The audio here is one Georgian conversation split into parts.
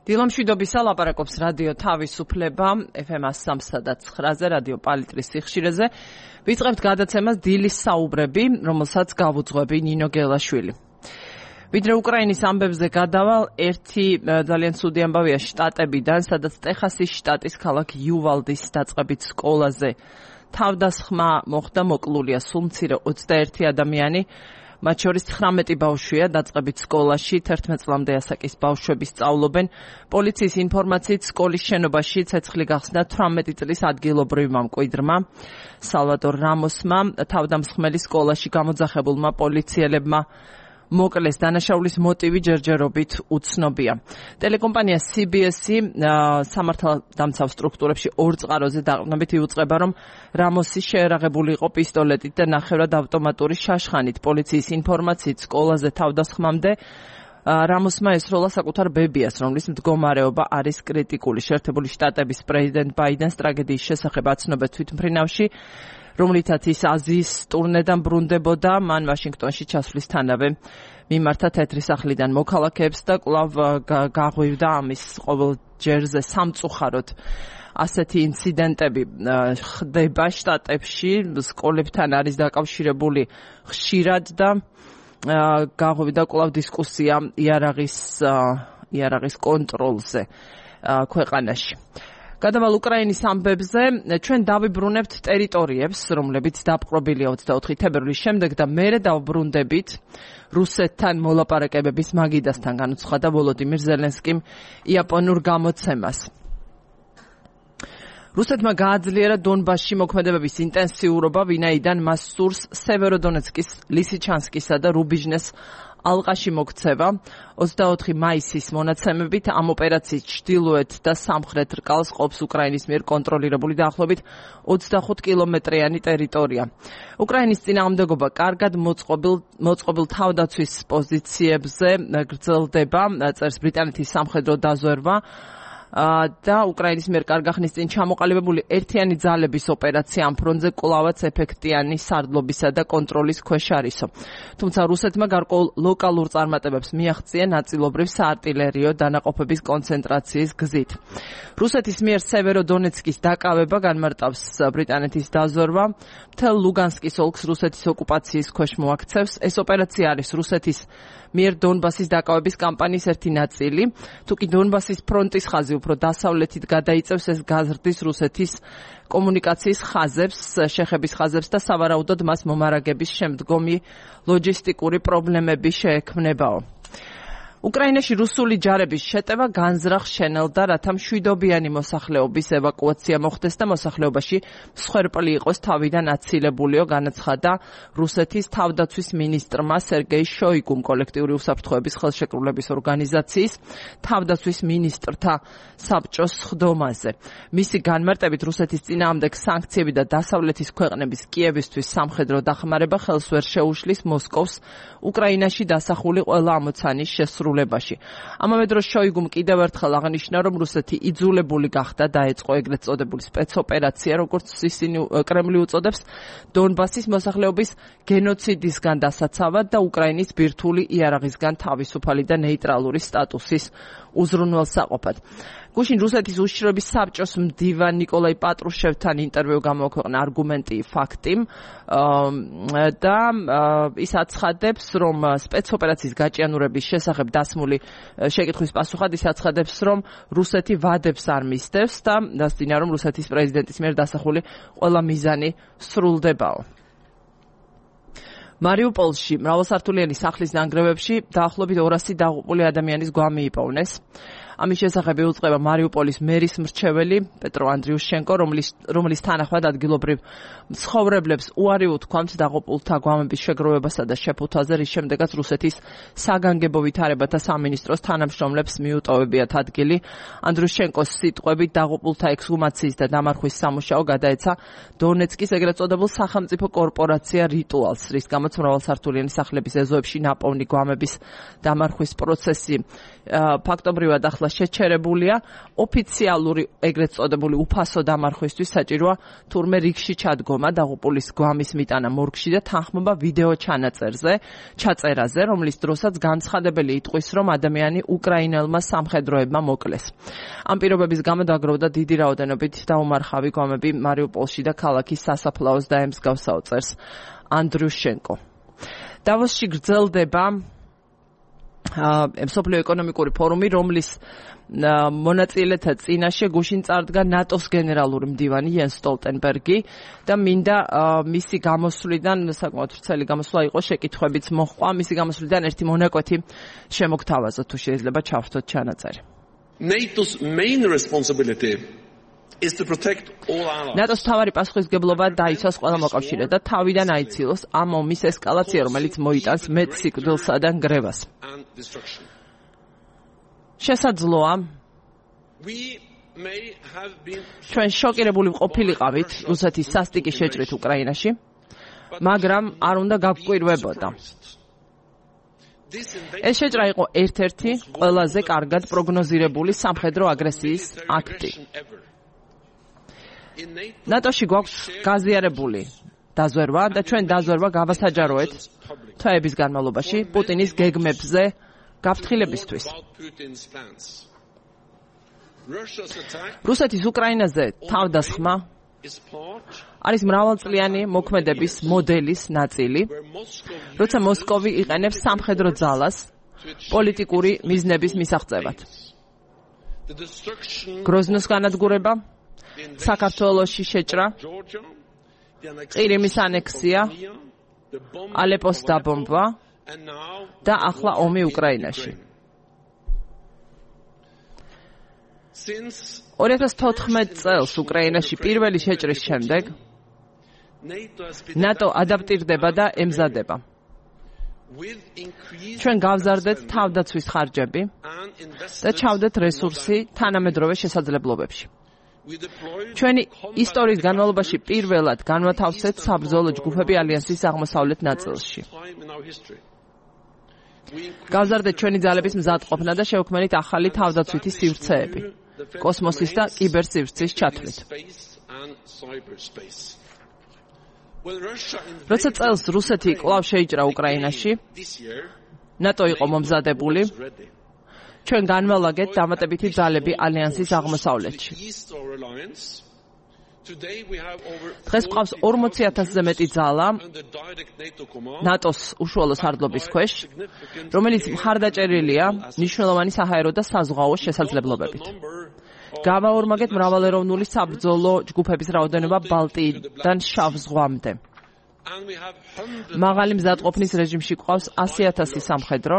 დილამშვიდობისა ლაპარაკობს რადიო თავისუფლება FM 103.9-ზე რადიო პალიტრის სიხშირეზე. ვიწყებთ გადაცემას დილის საუბრები, რომელსაც გავუძღვები ნინო გელაშვილი. ვიდრე უკრაინის ამბებზე გადავალ, ერთი ძალიან ცუდი ამბავია შტატებიდან, სადაც ტეხასის შტატის ქალაქ იუვალდის დაწყებით სკოლაზე თავდასხმა მოხდა, მოკლულია სულ მცირე 21 ადამიანი. მათ შორის 19 ბავშვია დაწყებით სკოლაში, 11 წლამდე ასაკის ბავშვები სწავლობენ. პოლიციის ინფორმაციით სკოლის შენობაში ცეცხლი გახსნა 18 წლის ადგილობრივმა მკვიდრმა სალვადორ რამოსმა, თავდამსხმელი სკოლაში გამოძახებულმა პოლიციელებმა მოკლეს. დანაშაულის მოტივი ჯერჯერობით უცნობია. ტელეკომპანია CBS-ი სამართალდამცავ სტრუქტურებში ორ წყაროზე დაყრდნობით იუწყება, რომ რამოსი შეერაღებული იყო პისტოლეტით და ნახევრად ავტომატური შაშხანით. პოლიციის ინფორმაციით სკოლაზე თავდასხმამდე რამოსმა ესროლა საკუთარ ბებიას, რომლის მდგომარეობა არის კრიტიკული. შეერთებული შტატების პრეზიდენტ ბაიდენს ტრაგედიის შესახებ აცნობენ თვითმფრინავში, რომლითაც ის აზიის ტურნედან ბრუნდებოდა, მან ვაშინგტონში ჩასვლისთანავე მიმართა თეთრი სახლიდან მოქალაქეებს და კვლავ გაღვივდა ამის ყოველ ჯერზე სამწუხაროდ. ასეთი ინციდენტები ხდება შტატებში, სკოლებთან არის დაკავშირებული ხშირად და გაღვივდა კვლავ დისკუსია იარაღის კონტროლზე ქვეყანაში. გადავალ უკრაინის ამბებზე, ჩვენ დავიბრუნებთ ტერიტორიებს, რომლებიც დაპყრობილია 24 თებერვლის შემდეგ და მერე დავბრუნდებით რუსეთთან მოლაპარაკებების მაგიდასთან, განუცხადა ვოლოდიმირ ზელენსკიმ იაპონურ გამოცემას. რუსეთმა გააძლიერა დონბასში მოქმედებების ინტენსიურობა, ვინაიდან მას სურს სევეროდონეცკის, ლისიჩანსკისა და რუბიჟნეს ალყაში მოქცევა. 24 მაისის მონაცემებით ამ ოპერაციის ჩრდილოეთ და სამხრეთ რკალს ყოფს უკრაინის მიერ კონტროლირებული დაახლოებით 25 კილომეტრიანი ტერიტორია. უკრაინის წინააღმდეგობა კარგად მოწყობილ თავდაცვის პოზიციებზე გრძელდება, წერს ბრიტანეთის სამხედრო დაზვერვა და უკრაინის მიერ კარგახნის წინ ჩამოყალიბებული ერთიანი ძალების ოპერაცია ამ ფრონტზე კვლავაც ეფექტიანი სარდლობისა და კონტროლის ქვეშ არისო. თუმცა რუსეთმა გარკვეულ ლოკალურ წარმატებებს მიაღწია ნაწილობრივ საარტილერიო დანაყოფების კონცენტრაციის გზით. რუსეთის მიერ სევეროდონეცკის დაკავება, განმარტავს ბრიტანეთის დაზვერვა, მთელ ლუგანსკის ოლქს რუსეთის ოკუპაციის ქვეშ მოაქცევს. ეს ოპერაცია არის რუსეთის მიერ დონბასის დაკავების კამპანიის ერთი ნაწილი. თუკი დონბასის ფრონტის ხაზი უფრო დასავლეთით გადაიწევს, ეს გაზრდის რუსეთის კომუნიკაციის ხაზებს, შეხების ხაზებს და სავარაუდოდ მას მომარაგების შემდგომი ლოჯისტიკური პრობლემები შეექმნებაო. უკრაინაში რუსული ჯარების შეტევა განზრახ შენელდა, რათა მშვიდობიანი მოსახლეობის ევაკუაცია მოხდეს და მოსახლეობაში მსხვერპლი იყოს თავიდან აცილებულიო, განაცხადა რუსეთის თავდაცვის მინისტრმა სერგეი შოიგუმ კოლექტიური უსაფრთხოების ხელშეკრულების ორგანიზაციის თავდაცვის მინისტრთა საბჭოს სხდომაზე. მისი განმარტებით რუსეთის წინააღმდეგ სანქციები და დასავლეთის ქვეყნების კიევისთვის სამხედრო დახმარება ხელს ვერ შეუშლის მოსკოვს უკრაინაში დასახული ყველა ამოცანის შესრულებაში. ამავე დროს შოიგუმ კიდევ ერთხელ აღნიშნა, რომ რუსეთი იძულებული გახდა დაეწყო ეგრეთ წოდებული სპეცოპერაცია, როგორც ისინი კრემლი უწოდებს, დონბასის მოსახლეობის გენოციდისგან დასაცავად და უკრაინის ბირთვული იარაღისგან თავისუფალი და ნეიტრალური სტატუსის უზრუნველსაყოფად. გუშინ რუსეთის უშიშროების საბჭოს მდივან ნიკოლაი პატრუშევთან ინტერვიუ გამოაქვეყნა არგუმენტი ფაქტი და ის აცხადებს, რომ სპეცოპერაციის გაჭიანურების შესახებ დასმული შეკითხვის პასუხად ის აცხადებს, რომ რუსეთი ვადებს არ მისდევს და დასძინა, რომ რუსეთის პრეზიდენტის მიერ დასახული ყველა მიზანი სრულდებაო. მარიუპოლში მრავალსართულიანი სახლის ნანგრევებში დაახლოებით 200 დაღუპული ადამიანის გვამი იპოვნეს. ამის შესახებ იუწყება მარიუპოლის მერის მრჩეველი პეტრო ანდრიუშენკო, რომლის თანახმად ადგილობრივ მცხოვრებლებს უარი უთქვამთ დაღუპულთა გვამების შეგროვებასა და შეფუთვაზე, რის შემდეგაც რუსეთის საგანგებო ვითარებათა სამინისტროს თანამშრომლებს მიუტოვებიათ ადგილი. ანდრიუშენკოს სიტყვებით დაღუპულთა ექსჰუმაციის და დამარხვის სამუშაო გადაეცა დონეცკის ეგრეთ წოდებულ სახელმწიფო კორპორაცია რიტუალს, რის გამოც მრავალსართულიანი სახლების ეზოებში ნაპოვნი გვამების დამარხვის პროცესი ფაქტობრივად ახლა შეჩერებულია ოფიციალური ეგრეთ წოდებული უფასო დამარხვისთვის საჭიროა თურმე რიგში ჩადგომა დაღუპულის გვამის მიტანა მორგში და თანხმობა ვიდეო ჩაწერაზე, რომლის დროსაც განცხადებელი იტყვის, რომ ადამიანი უკრაინელმა სამხედროებმა მოკლეს. ამ პირობების გამო დაგროვდა დიდი რაოდენობით დაუმარხავი გვამები მარიუპოლში და ქალაქის სასაფლაოს და ემსგავსაო წერს ანდრიუშენკო. დავოსში გრძელდება მსოფლიო ეკონომიკური ფორუმი, რომლის მონაწილეთა წინაშე გუშინ წარდგა ნატოს გენერალური მდივანი იენს სტოლტენბერგი და მინდა მისი გამოსვლიდან საკმაოდ ვრცელი გამოსვლა იყო, შეკითხვებიც მოჰყვა, მისი გამოსვლიდან ერთი მონაკვეთი შემოგთავაზოთ, თუ შეიძლება ჩავრთოთ ჩანაწერი. NATO's main responsibility is to protect all allies. ნატოს თავარი პასუხისმგებლობა დაიცვას ყველა მოკავშირედ და თავიდან აიცილოს ამ ომის ესკალაცია, რომელიც მოიტანს მეტ სიკვდილსა და ნგრევას. შესაძლოა ჩვენ შოკირებული ყოფილიყავით რუსეთის სასტიკი შეჭრით უკრაინაში, მაგრამ არ უნდა გავკვირვებოდა. ეს შეჭრა იყო ერთ-ერთი ყველაზე კარგად პროგნოზირებული სამხედრო აგრესიის აქტი. ნატოში გვაქვს გაზიარებული დაზვერვა და ჩვენ დაზვერვა გავასაჯაროეთ თვეების განმავლობაში პუტინის გეგმებზე გაფრთხილებისთვის. რუსეთის უკრაინაზე თავდასხმა არის მრავალწლიანი მოქმედების მოდელის ნაწილი, როცა მოსკოვი იყენებს სამხედრო ძალას პოლიტიკური მიზნების მისაღწევად. გროზნოს განადგურება, საქართველოში შეჭრა, ყირიმის ანექსია, ალეპოს დაბომბვა და ახლა ომი უკრაინაში. 2014 წელს უკრაინაში პირველი შეჭრის შემდეგ ნატო ადაპტირდება და ემზადება. ჩვენ გავზარდეთ თავდაცვის ხარჯები და ჩავდეთ რესურსი თანამედროვე შესაძლებლობებში. ჩვენი ისტორიის განმავლობაში პირველად განვათავსეთ საბრძოლო ჯგუფები ალიანსის აღმოსავლეთ ნაწილში. გავზარდეთ ჩვენი ძალების მზადყოფნა და შევქმნით ახალი თავდაცვითი სივრცეები, კოსმოსის და კიბერსივრცის ჩათვლით. როცა წელს რუსეთი კვლავ შეიჭრა უკრაინაში, ნატო იყო მომზადებული, ჩვენ განვალაგეთ დამატებითი ძალები ალიანსის აღმოსავლეთში. დღეს გვყავს 40,000-ზე მეტი ძალა ნატოს უშუალო სარდლობის ქვეშ, რომელიც მხარდაჭერილია მნიშვნელოვანი საჰაერო და საზღვაო შესაძლებლობებით. გავაორმაგეთ მრავალეროვნული საბრძოლო ჯგუფების რაოდენობა ბალტიიდან შავ ზღვამდე. მაღალი მზადყოფნის რეჟიმში გვყავს 100,000 სამხედრო,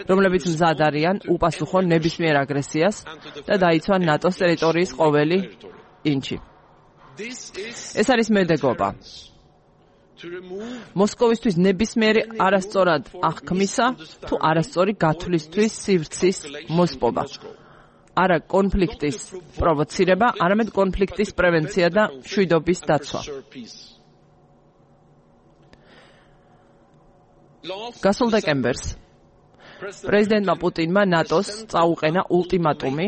რომლებიც მზად არიან უპასუხონ ნებისმიერ აგრესიას და დაიცვან ნატოს ტერიტორიის ყოველი ინჩი. ეს არის მედეგობა. მოსკოვისთვის ნებისმიერი არასწორად აღქმისა თუ არასწორი გათვლისთვის სივრცის მოსპობა. არა კონფლიქტის პროვოცირება, არამედ კონფლიქტის პრევენცია და მშვიდობის დაცვა. გასულ დეკემბერს პრეზიდენტმა პუტინმა ნატოს წაუყენა ულტიმატუმი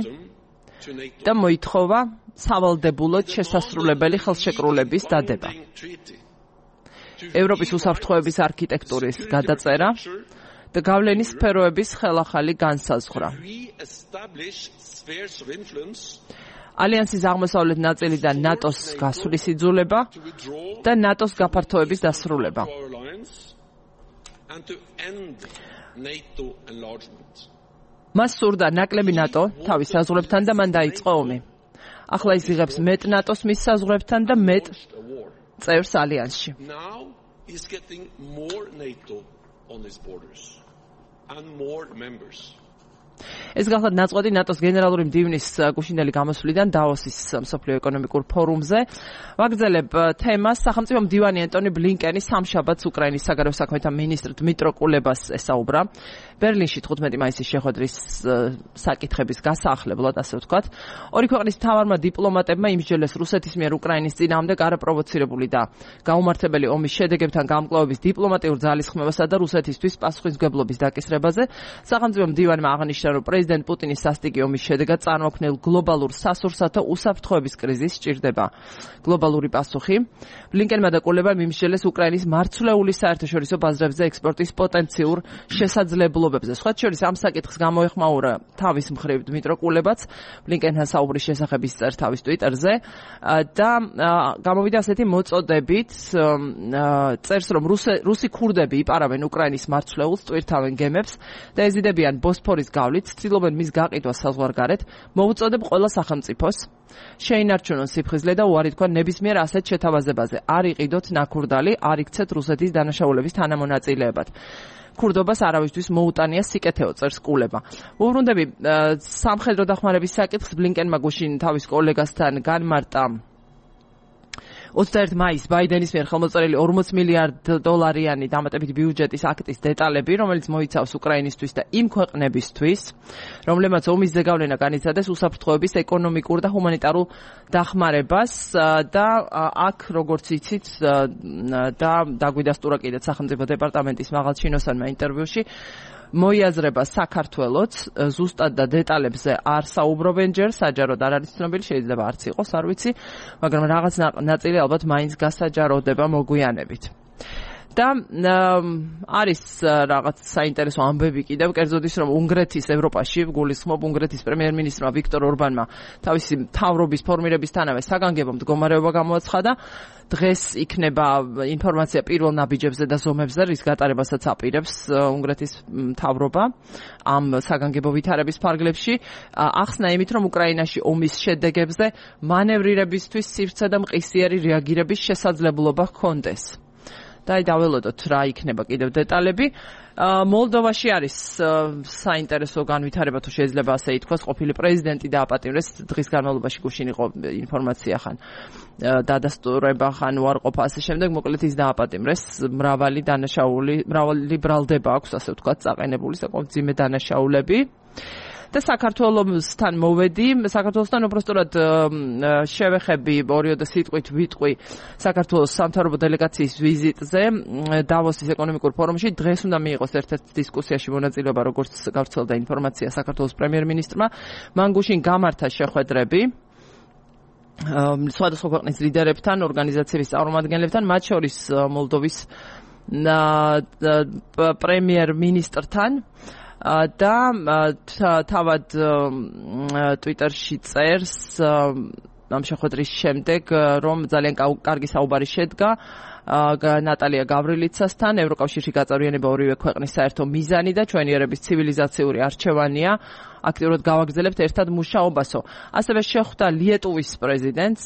და მოითხოვა სავალდებულოდ შესასრულებელი ხელშეკრულების დადება. ევროპის უსაფრთხოების არქიტექტურის გადაწერა და გავლენის სფეროების ხელახალი განსაზღვრა. ალიანსის აღმოსავლეთ ნაწილიდან ნატოს გასვლის იძულება და ნატოს გაფართოების დასრულება. მას სურდა ნაკლები ნატო თავის საზღვრებთან და მან დაიწყო ომი. ახლა ის იღებს მეტ ნატოს მის საზღვრებთან და მეტ წევრს ალიანსში. ეს გახლავთ ნაწყვეტი ნატოს გენერალური მდივნის გუშინდელი გამოსვლიდან დაოსის მსოფლიო ეკონომიკურ ფორუმზე. ვაგრძელებ თემას. სახელმწიფო მდივანი ენტონი ბლინკენი სამშაბათს უკრაინის საგარეო საქმეთა მინისტრ დმიტრო კულებას ესაუბრა. ბერლინში 15 მაისის შეხვედრის საკითხების გასაახლებლად, ასე ვთქვათ. ორი ქვეყნის მთავარმა დიპლომატებმა იმსჯელეს რუსეთის მიერ უკრაინის წინააღმდეგ არაპროვოცირებული და გაუმართებელი ომის შედეგებთან გამკლავების დიპლომატიურ ძალისხმევასა და რუსეთისთვის პასუხისმგებლობის დაკისრებაზე. სახელმწიფო მდივანმა აღნიშნა, აღნიშნა, რომ პრეზიდენტ პუტინის სასტიკი ომის შედეგად წარმოქმნილ გლობალურ სასურსათო უსაფრთხოების კრიზისს სჭირდება გლობალური პასუხი. ბლინკენმა და კულებამ იმსჯელეს უკრაინის მარცვლეული საერთაშორისო ბაზრებზე ექსპორტის პოტენციურ შესაძლებლობებზე. სხვათა შორის ამ საკითხს გამოეხმაურა თავის მხრივ დმიტრო კულებაც ბლინკენთან საუბრის შესახებ წერს თავის ტვიტერზე და გამოვიდა ასეთი მოწოდებით, წერს, რომ რუსი ქურდები იპარავენ უკრაინის მარცვლეულს, ტვირთავენ გემებს და ეზიდებიან ბოსფორის გავლით, ცდილობენ მის გაყიდვას საზღვარგარეთ, მოუწოდებ ყველა სახელმწიფოს შეინარჩუნონ სიფხიზლე და უარი თქვან ნებისმიერ ასეთ შეთავაზებაზე. არ იყიდოთ ნაქურდალი, არ იქცეთ რუსეთის დანაშაულების თანამონაწილეებად. ქურდობას არავისთვის მოუტანია სიკეთეო, წერს კულება. უბრუნდები სამხედრო დახმარების საკითხს ბლინკენმა გუშინ თავის კოლეგასთან განმარტა 21 მაისს ბაიდენის მიერ ხელმოწერილი 40 მილიარდ დოლარიანი დამატებითი ბიუჯეტის აქტის დეტალები, რომელიც მოიცავს უკრაინისთვის და იმ ქვეყნებისთვის, რომლებმაც ომის ზეგავლენა განიცადეს უსაფრთხოების ეკონომიკურ და ჰუმანიტარულ დახმარებას და აქ, როგორც იცით, და დაგვიდასტურა კიდეც სახელმწიფო დეპარტამენტის მაღალჩინოსანმა ინტერვიუში, მოიაზრება საქართველოც ზუსტად და დეტალებზე არ საუბრობენ ჯერ, საჯაროდ არ არის ცნობილი, შეიძლება არც იყოს, არ ვიცი, მაგრამ რაღაც ნაწილი ალბათ მაინც გასაჯაროდება მოგვიანებით. და არის რაღაც საინტერესო ამბები კიდევ, კერძოდ ის, რომ უნგრეთის ევროპაში გულისხმობ უნგრეთის პრემიერ-მინისტრმა ვიქტორ ორბანმა თავისი მთავრობის ფორმირებისთანავე საგანგებო მდგომარეობა გამოაცხადა. დღეს იქნება ინფორმაცია პირველ ნაბიჯებზე და ზომებზე, რის გატარებასაც აპირებს უნგრეთის მთავრობა ამ საგანგებო ვითარების ფარგლებში. ახსნა იმით, რომ უკრაინაში ომის შედეგებზე მანევრირებისთვის სივრცე და მყისიერი რეაგირების შესაძლებლობა ჰქონდეს. და დაველოდოთ რა იქნება კიდევ დეტალები. მოლდოვაში არის საინტერესო განვითარება, თუ შეიძლება ასე ითქვას, ყოფილი პრეზიდენტი დააპატიმრეს, დღის განმავლობაში გუშინ იყო ინფორმაცია ხან დადასტურება, ხან უარყოფა ასე შემდეგ, მოკლედ ის დააპატიმრეს, მრავალი ბრალდება აქვს, ასე ვთქვათ, წაყენებული საკმაოდ მძიმე დანაშაულები. და საქართველოსთან მოვედი, საქართველოსთან უბრალოდ შევეხები ორიოდე სიტყვით ვიტყვი საქართველოს სამთავრობო დელეგაციის ვიზიტზე დავოსის ეკონომიკურ ფორუმში. დღეს უნდა მიიღოს ერთ-ერთ დისკუსიაში მონაწილეობა, როგორც გავრცელდა ინფორმაცია საქართველოს პრემიერ-მინისტრმა. მან გუშინ გამართა შეხვედრები სხვადასხვა ქვეყნის ლიდერებთან, ორგანიზაციების წარმომადგენლებთან, მათ შორის მოლდოვის პრემიერ-მინისტრთან. და თავად ტვიტერში წერს ამ შეხვედრის შემდეგ, რომ ძალიან კარგი საუბარი შედგა ნატალია გავრილიცასთან. ევროკავშირში გაწევრიანება ორივე ქვეყნის საერთო მიზანი და ჩვენი ერების ცივილიზაციური არჩევანია. აქტიურად გავაგრძელებთ ერთად მუშაობასო. ასევე შეხვდა ლიეტუვის პრეზიდენტს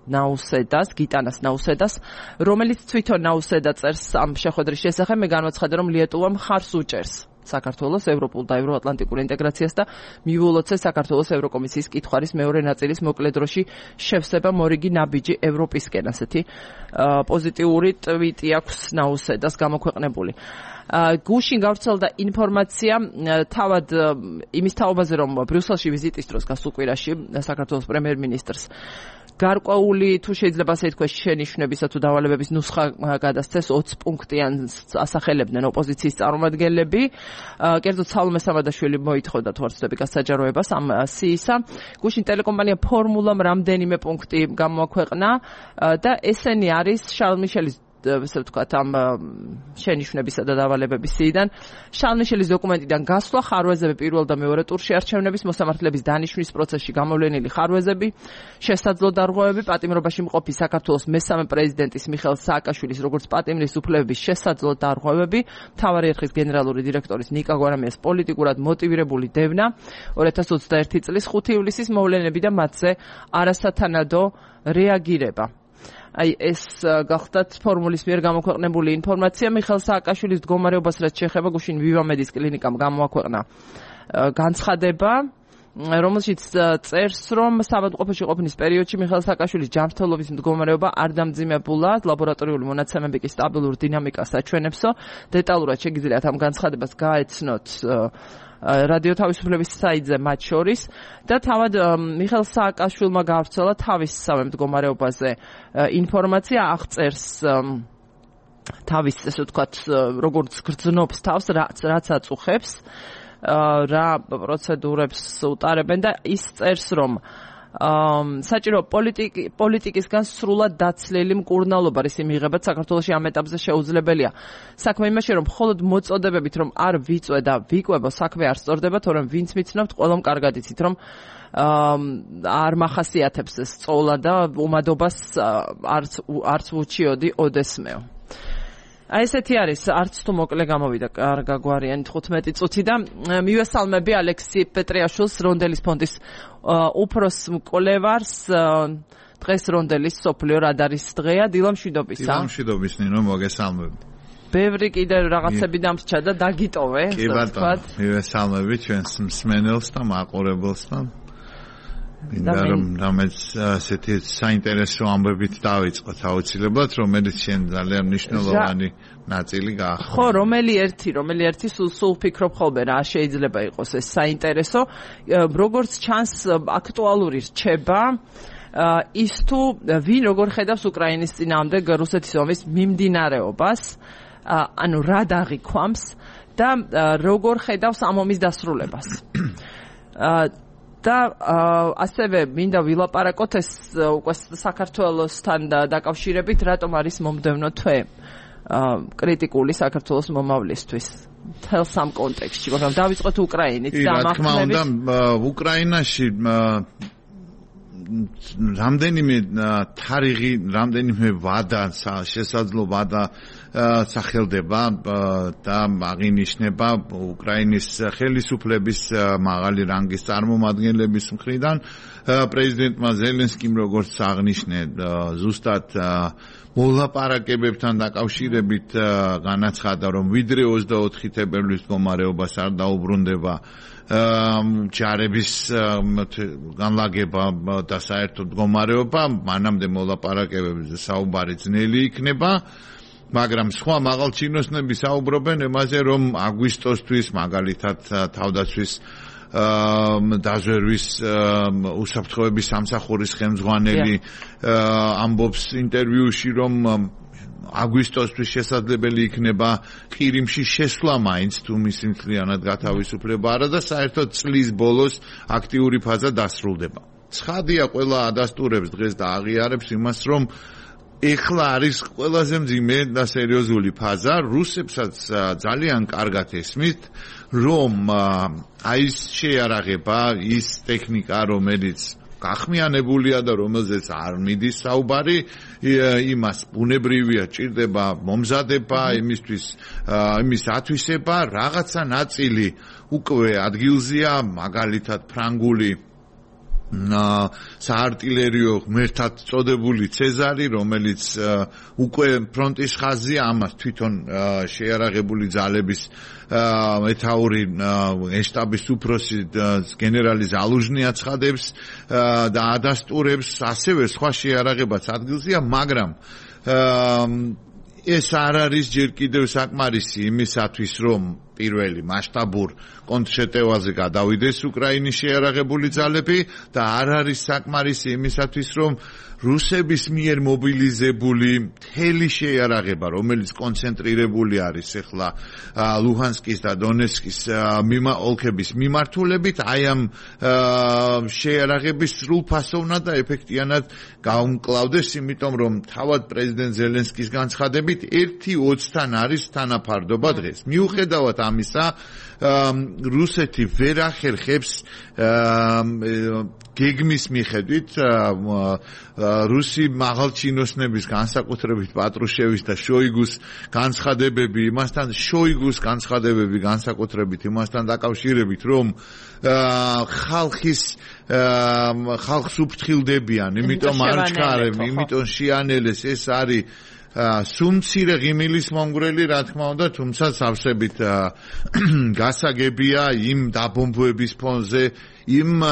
ნაუსედას, გიტანას ნაუსედას, რომელიც თვითონ ნაუსედა წერს ამ შეხვედრის შესახებ. მე განვაცხადე, რომ ლიეტუვა მხარს უჭერს საქართველოს ევროპულ და ევროატლანტიკურ ინტეგრაციას და მიულოცეს საქართველოს ევროკომისიის კითხვარის მეორე ნაწილის მოკლე დროში შევსება მორიგი ნაბიჯი ევროპისკენ. ასეთი პოზიტიური ტვიტი აქვს ნაუსედას გამოქვეყნებული. გუშინ გავრცელდა ინფორმაცია თავად იმის თაობაზე, რომ ბრიუსელში ვიზიტის დროს გასულ კვირაში საქართველოს პრემიერ-მინისტრს გარკვეული, თუ შეიძლება ასე ითქვას, შენიშვნებისა თუ დავალებების ნუსხა გადასცეს 20 პუნქტიან ასახელებდნენ ოპოზიციის წარმომადგენლები. კერძოდ სალომე სამადაშვილი მოითხოვდა თუ არ ვცდები გასაჯაროებას ამ სიისა. გუშინ ტელეკომპანია ფორმულამ რამდენიმე პუნქტი გამოაქვეყნა და ესენი არის შარლ მიშელის ესე ვთქვათ, ამ შენიშვნებისა და დავალებების სიიდან. შარლ მიშელის დოკუმენტიდან გასვლა, ხარვეზები პირველ და მეორე ტურში არჩევნების, მოსამართლეების დანიშვნის პროცესში გამოვლენილი ხარვეზები, შესაძლო დარღვევები, პატიმრობაში მყოფი საქართველოს მესამე პრეზიდენტის მიხეილ სააკაშვილის როგორც პატიმრის უფლებების შესაძლო დარღვევები, მთავარი ერხის გენერალური დირექტორის ნიკა გვარამიას პოლიტიკურად მოტივირებული დევნა, 2021 წლის 5 ივლისის მოვლენები და მათზე არასათანადო რეაგირება. აი ეს გახდათ ფორმულის მიერ გამოქვეყნებული ინფორმაცია. მიხეილ სააკაშვილის მდგომარეობას რაც შეეხება, გუშინ ვივამედის კლინიკამ გამოაქვეყნა განცხადება, რომელშიც წერს, რომ საავადმყოფოში ყოფნის პერიოდში მიხეილ სააკაშვილის ჯანმრთელობის მდგომარეობა არ დამძიმებულა, ლაბორატორიული მონაცემები კი სტაბილურ დინამიკას აჩვენებსო. დეტალურად შეგიძლიათ ამ განცხადებას გაეცნოთ რადიო თავისუფლების საიტზე მათ შორის და თავად მიხეილ სააკაშვილმა გავრცელა თავის მდგომარეობაზე ინფორმაცია, აღწერს თავის ესე ვთქვათ როგორც გრძნობს თავს რაც აწუხებს რა პროცედურებს უტარებენ და ის წერს რომ საჭირო პოლიტიკისგან სრულად დაცლილი მკურნალობა რის მიღებაც საქართველოში ამ ეტაპზე შეუძლებელია. საქმე იმაში რომ მხოლოდ მოწოდებებით რომ არ ვიწვე და ვიკვებო საქმე არ სწორდება, თორემ ვინც მიცნობთ ყველამ კარგად იცით რომ არ მახასიათებს ეს სწავლა და უმადობას არც უჩიოდი ოდესმეო. აი ესეთი არის, არც თუ მოკლე გამოვიდა კარგაგვარიანი 15 წუთი და მივესალმები ალექსი პეტრიაშვილს, რონდელის ფონდის უფროს მკვლევარს, დღეს რონდელის სოფლიო რადარის დღეა, დილამშვიდობისა. დილამშვიდობის ნინო, მოგესალმები. ბევრი კიდე რაღაცები დამრჩა და დაგიტოვე. კი ბატონო, მივესალმები ჩვენს მსმენელს და მაყურებელს და მინდა რომ რამაც ასეთი საინტერესო ამბებით დავიწყოთ აუცილებლად, რომელიც შენ ძალიან მნიშვნელოვანი ნაწილი გაახდა. ხო, რომელი ერთი სულ ფიქრობ ხოლმე რა შეიძლება იყოს ეს საინტერესო, როგორც ჩანს აქტუალური რჩება ის თუ ვინ როგორ ხედავს უკრაინის წინააღმდეგ რუსეთის ომის მიმდინარეობას, ანუ რა დაღიქვამს და როგორ ხედავს ამ ომის დასრულებას. და ასევე მინდა ვილაპარაკოთ ეს უკვე საქართველოსთან დაკავშირებით, რატომ არის მომდევნო თვე კრიტიკული საქართველოს მომავლისთვის. თელს ამ კონტექსტში, მაგრამ დავიწყოთ უკრაინით და რა თქმა უნდა, უკრაინაში რამდენიმე თარიღი, რამდენიმე ვადა, შესაძლო ვადა სახელდება და აღინიშნება უკრაინის ხელისუფლების მაღალი რანგის წარმომადგენლების მხრიდან. პრეზიდენტმა ზელენსკიმ როგორც აღნიშნე, ზუსტად მოლაპარაკებებთან დაკავშირებით განაცხადა, რომ ვიდრე 24 თებერვლის მდგომარეობას არ დაუბრუნდება ჯარების განლაგება და საერთოდ მდგომარეობა, მანამდე მოლაპარაკებებზე საუბარი ძნელი იქნება. მაგრამ სხვა მაღალჩინოსნები საუბრობენ იმაზე, რომ აგვისტოსთვის მაგალითად თავდაცვის დაზვერვის უსაფრთხოების სამსახურის ხელმძღვანელი ამბობს ინტერვიუში, რომ აგვისტოსთვის შესაძლებელი იქნება ყირიმში შესვლა მაინც თუ მისი მთლიანად გათავისუფლება არა და საერთოდ წლის ბოლოს აქტიური ფაზა დასრულდება. ცხადია, ყველა ადასტურებს დღეს და აღიარებს იმას, რომ ეხლა არის ყველაზე მძიმე და სერიოზული ფაზა. რუსებსაც ძალიან კარგად ესმით, რომ აი ეს შეიარაღება, ის ტექნიკა, რომელიც გახმიანებულია და რომელზეც არ მიდის საუბარი, იმას ბუნებრივია ჭირდება მომზადება, იმის ათვისება, რაღაცა ნაწილი უკვე ადგილზეა, მაგალითად ფრანგული საარტილერიო ღმერთად წოდებული ცეზარი, რომელიც უკვე ფრონტის ხაზია, ამას თვითონ შეიარაღებული ძალების მეთაური შტაბის უფროსი გენერალი ზალუჟნი აცხადებს და ადასტურებს, ასევე სხვა შეიარაღებაც ადგილზეა, მაგრამ ეს არ არის ჯერ კიდევ საკმარისი იმისათვის, რომ პირველი მასშტაბურ კონტრშეტევაზე გადავიდეს უკრაინის შეიარაღებული ძალები და არ არის საკმარისი იმისათვის, რომ რუსების მიერ მობილიზებული მთელი შეიარაღება, რომელიც კონცენტრირებული არის ახლა ლუჰანსკის და დონეცკის ოლქების მიმართულებით, აი ამ შეიარაღების სრულფასოვნად და ეფექტიანად გაუმკლავდეს, იმიტომ რომ თავად პრეზიდენტ ზელენსკის განცხადებით 1:20-თან არის თანაფარდობა დღეს. მიუხედავად ამისა, რუსეთი ვერ ახერხებს გეგმის მიხედვით რუსი მაღალჩინოსნების განსაკუთრებით პატრუშევის და შოიგუს განცხადებები, იმასთან შოიგუს განცხადებები განსაკუთრებით იმასთან დაკავშირებით, რომ ხალხს უფრთხილდებიან, იმიტომ არ ჩქარებ, იმიტომ შეანელეს, ეს არის სუმცირე ღიმილის მომგვრელი, რა თქმა უნდა, თუმცა სავსებით გასაგებია იმ დაბომბვების ფონზე, იმ